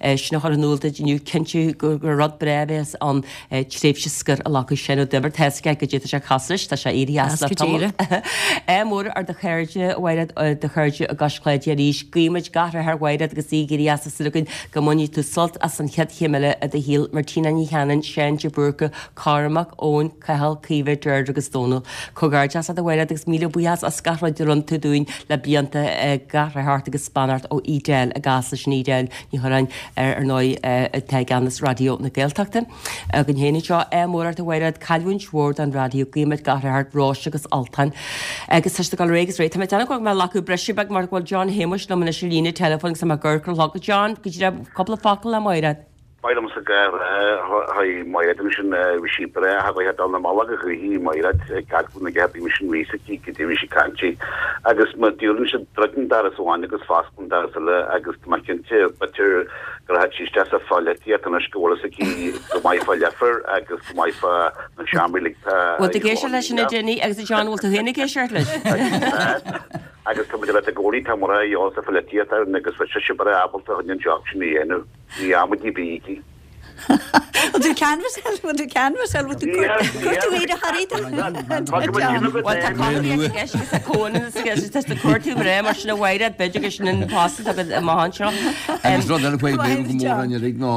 é sin a chur in iúl duit inniu, cinnte gur rud breá a bheas ann tréimhse scoir a ghlacadh Seán Ó Duibhir, tá a fhios aige goidé tá sé ag casadh leis, tá sé éirithe as le tamall. Ádh mór ar do chairde, a Mhairéad, do chairde i gCois Cláidí arís. Guímid gach rath ar Mhairéad agus í ag éirí as is againn go mbainfidh tú sult as an chéad chéim eile i do shaol. Martina Ní Cheanainn, Seán de Búrca, Cormac, Eoin, Cathal, Caoimhe, Deirdre agus Dónal. Comhghairdeas leat a Mhairéad agus míle buíochas as gach rud a rinne tú dúinn le blianta. Gach rath ort agus beannacht ó Edel i gCasla sin Edel Ní Churráin ar ar ndóigh atá i gceannas Raidió na Gaeltachta againn féin anseo. Ádh mór ort a Mhairéad, cailliúint mhór don raidió, guímid gach rath ort, Róise agus Ultan. Agus tá siad ag dul ar aghaidh agus ar aghaidh. Tá mé ag déanamh go bhfuil mé ag glacadh briseadh beag mar go bhfuil John Shéamuis liom anois ar líne teileafóin agus tá mé ag amharc ar an chlog. John, go dtí cúpla focal le Mairéad. Ba mhaith liomsa gach rath a chuir Mairéad ansin, bhí sí breá, cha bhfuil dul na mbealach a chuichí Mairéad ag gach na gceap bhí sin ríos aici go dtí bhí sí cainte agus má dúrann siad druideann doras amháin agus fosclann doras eile agus tá mé cinnte b'fhéidir gur thit sí isteach sa pholaitíocht anois go bhfuil fhios aici go maith fá Leifear agus go maith fá na seomraí uilig tá Bhfuil tú ag éisteacht leis sin a Dinny agus a John bhfuil tú féin ag éisteacht leis? Agus tá muid leat i gcónaí tá mura eolas sa pholaitíocht ann agus bheadh sise breá ábalta chun an job sin a dhéanamh. Ní amaidí bígí. Bhfuil tú canbhasáil, bhfuil tú canbhasáil, bhfuil tú cuir tú iad a tharaí Bhuel tá cothromaíocht i gceist agus tá comhionannas i gceist agus tá cuartú mná mar sin a Mhairéad b'fhéidir gur sin an post atá agat amach anseo. Agus rud eile faoi bhfeidhm go mór orainn uilig ná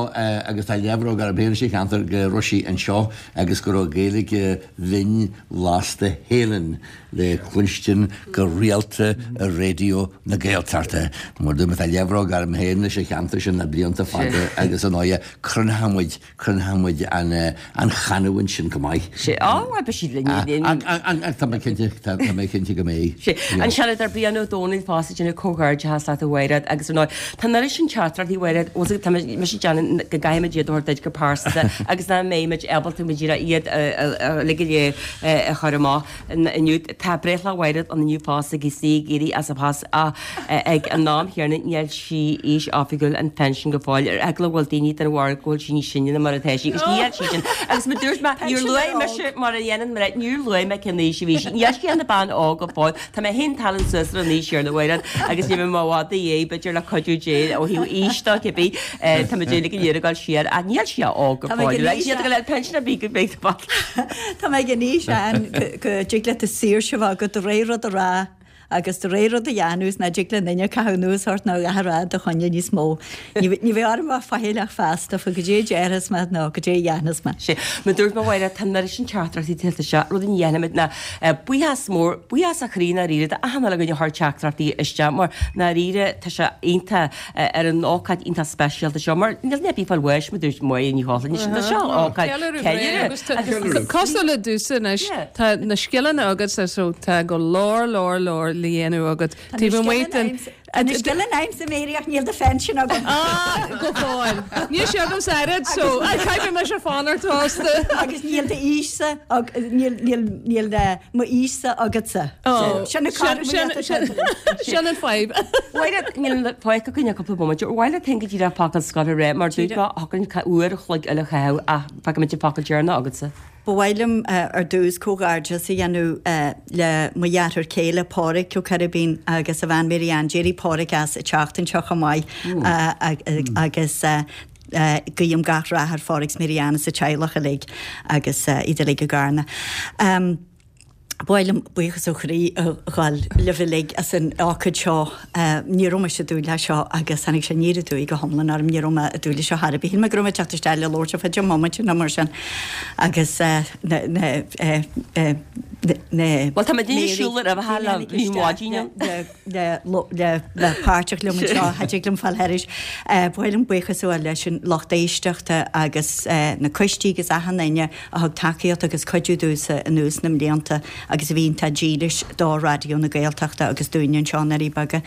agus tá leathbhróg orm féin sa cheantar go raibh sí anseo agus go raibh Gaeilge bhinn bhlasta Héileann le cluinstin go rialta ar Raidió na Gaeltachta. Mar dúirt mé, tá leathbhróg orm féin leis an cheantar sin le blianta fada agus ar ndóighe cruinneoidh muid, cruinneoidh muid an, an chanúint sin go maith. Sé, á, bhuel, beidh siad linn, linn. Ach tá mé cinnte, tá mé cinnte go mbeidh. Sé, an Seanadóir Brian Ó Domhnaill fosta ag déanamh comhghairdeachas leat a Mhairéad agus ar ndóigh, tá an oiread sin teachtaireachtaí a Mhairéad, bhfuil tá mise ag déanamh go gcaithfimid iad a thabhairt duit go pearsanta agus nach mbeimid ábalta muid iad uilig go léir a chur amach. Inniu, tá breithlá Mhairéad ann inniu fosta agus í ag éirí as a post ach ag an am chéanna níl sí aois oifigiúil an phension go fóill ar eagla go bhfuil daoine den bharúil go bhfuil sí níos sine ná mar atá sí agus níl sí sin agus mar dúirt mé níor luaigh mise mar a dhéanann mná níor luaigh mé cén aois a bhí sí níl sí ina bean óg go fóill tá mé féin ag tarraingt suas ar an aois chéanna a Mhairéad agus níl mé i bhfad ina dhiaidh b'fhéidir le cuidiú Dé ó thaobh aois de cibé tá muid uilig go léir ag dul siar ach níl sí óg go fóill agus iad ag dul ar pension ar bith go mbeidh Tá mé ag an aois ann go dtig leat an saoirse a bheith agat do rogha rud a rá agus do rogha rud a dhéanamh is nach dtig le duine caitheamh anuas ort ná a dhath a rá i do choinne níos mó. Ní bheidh orm a bheith faichilleach feasta faoi goidé a déarfas mé nó goidé a dhéanfas mé. Sé, mar dúirt mé a Mhairéad, tá an oiread sin teachtaireachtaí tuillte seo, rud a dhéanfaimid ná buíochas mór, buíochas ó chroí ndáiríre d'achan uile dhuine a chuir teachtaireachtaí isteach mar ndáiríre tá sé iontach ar an ócáid iontach speisialta seo mar níl duine ar bith ag fáil bháis mar dúirt Máire Ní Chochláin tá seo ócáid ceiliúradh. Cosúil le tusa anois tá na scileanna agatsa so tá go leor leor leor le dhéanamh agat taobh amuigh den Tá na scileanna agamsa Mary ach níl do phension agam. Ah, go fóill. Níl sé agamsa oiread so caithfidh mise fanacht fosta. Agus níl d'aois-sa níl níl níl m'aois-sa agatsa. Sin an Sin an fadhb. Mhairéad, níl fágtha againn ach cúpla bomaite. Ar mhaith leat féin go díreach focal scoir a rá mar dúirt mé thiocfadh linn uair a chloig eile a chaitheamh ach fágfaimid an focal deireanach agatsa. Ba mhaith liom ar dtús comhghairdeas a dhéanamh le mo dheartháir céile Pádhraic Ó Coiribín agus a bhean Mary Ann. D'éirigh Pádhraic as an tseachtain seo chomh maith agus guím gach rath ar Phádhraic 's Mary Ann is a teaghlach uilig agus iad uilig i gCarna. Ba mhaith liom buíochas ó chroí a ghabháil libh uilig as an ócáid seo. Ní raibh mise ag dúil leis seo agus tháinig sé aniar aduaidh go hiomlán orm. Ní raibh mé ag dúil leis seo chor ar bith. Shíl mé go raibh mé ag teacht isteach le labhairt ar feadh deich mbomaite nó mar sin agus na na na Bhuel tá mé ag siúl ar a bheatha le bhí maidin ann. le le bheith páirteach liom anseo, cha dtig liom fáil thairis. Ba mhaith liom buíochas a ghabháil leis an lucht éisteachta agus na coistí agus achan duine a thug tacaíocht agus cuidiú domhsa anuas na mblianta agus a bhí iontach dílis do Raidió na Gaeltachta agus dúinne anseo i nDoirí Beaga.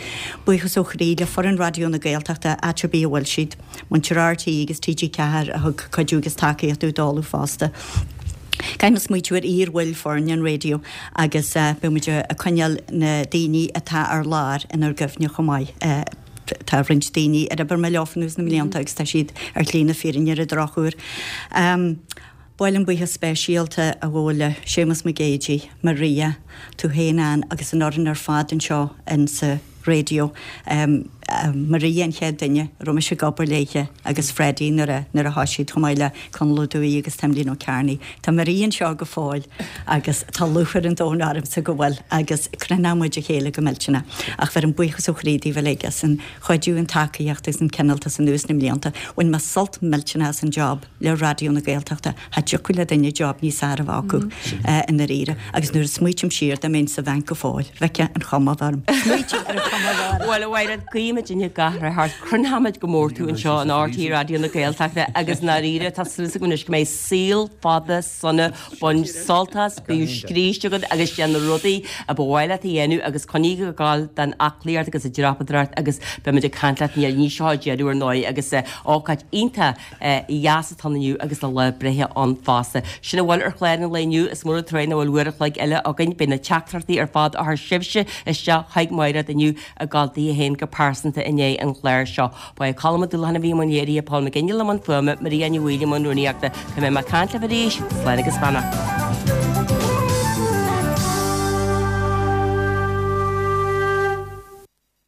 Buíochas ó chroí le foireann Raidió na Gaeltachta, áit ar bith a bhfuil siad, muintir RTÉ agus TG Ceathair a thug cuidiú agus tacaíocht domh dála fosta. Caithfidh mé smaoitiú ar iar-bhaill foirne an raidió agus beidh muid ag coinneáil na daoine atá ar lár inár gcuimhne chomh maith. Tá roinnt daoine ar oibir mé leofa anuas na mblianta agus tá siad ar shlí na fírinne ar an drochuair. Ba mhaith liom buíochas speisialta a ghabháil le Séamus Mac Géidigh, Maria, tú féin Ann agus an fhoireann ar fad anseo in sa raidió. Maria an chéad duine a raibh mise ag obair léithe agus Freddie nuair a nuair a thoisigh siad chomh maith le Conall Ó Dubhthaigh agus Timlín Ó Cearnaigh. Tá Maria anseo go fóill agus tá lúcháir an domhain ormsa go bhfuil agus crothnaíonn muid a chéile go millteanach. Ach bheirim buíochas ó chroí daoibh uilig as an chuidiú, an tacaíocht agus an cineáltas anuas na mblianta. Bhain mé sult millteanach as an job le Raidió na Gaeltachta. Cha dtiocfadh le duine job níos fearr a bheith acu i ndáiríre. Agus nuair a smaoitím siar, dá mbeinn sa bhanc go fóill, bheadh an chuma orm. Smaoitiú ar an chuma a bheadh orm. Bhuel, a Mhairéad, guímid gach rath ort. Crothnaímid go mór tú anseo in RTÉ Raidió na Gaeltachta agus i ndáiríre, tá súil agam anois go mbeidh saol fada sona, bain sult as, bíodh scríste agat agus déan na rudaí a ba mhaith leat a dhéanamh agus coinnigh ag gabháil den aclaíocht agus an dreapadóireacht agus beimid ag caint leat ní seo an deireadh ar ndóigh agus ócáid iontach dheas atá ann inniu agus a lá breithe ann fosta. Sin a bhfuil ar chlár an lae inniu, is mór an trua nach bhfuil uair a chloig eile againn. Beidh na teachtaireachtaí ar fad a chuir sibhse isteach chuig Mairéad inniu ag gabháil di féin go pearsanta i ndiaidh an chláir seo. Ba é Colm Ó Dúlacháin a bhí i mbun léirithe, Paul McGinley i mbun fuaime, Maria Ní Bhaoill i mbun rúnaíochta. Go mbeidh mé ag caint libh arís, slán agus beannacht.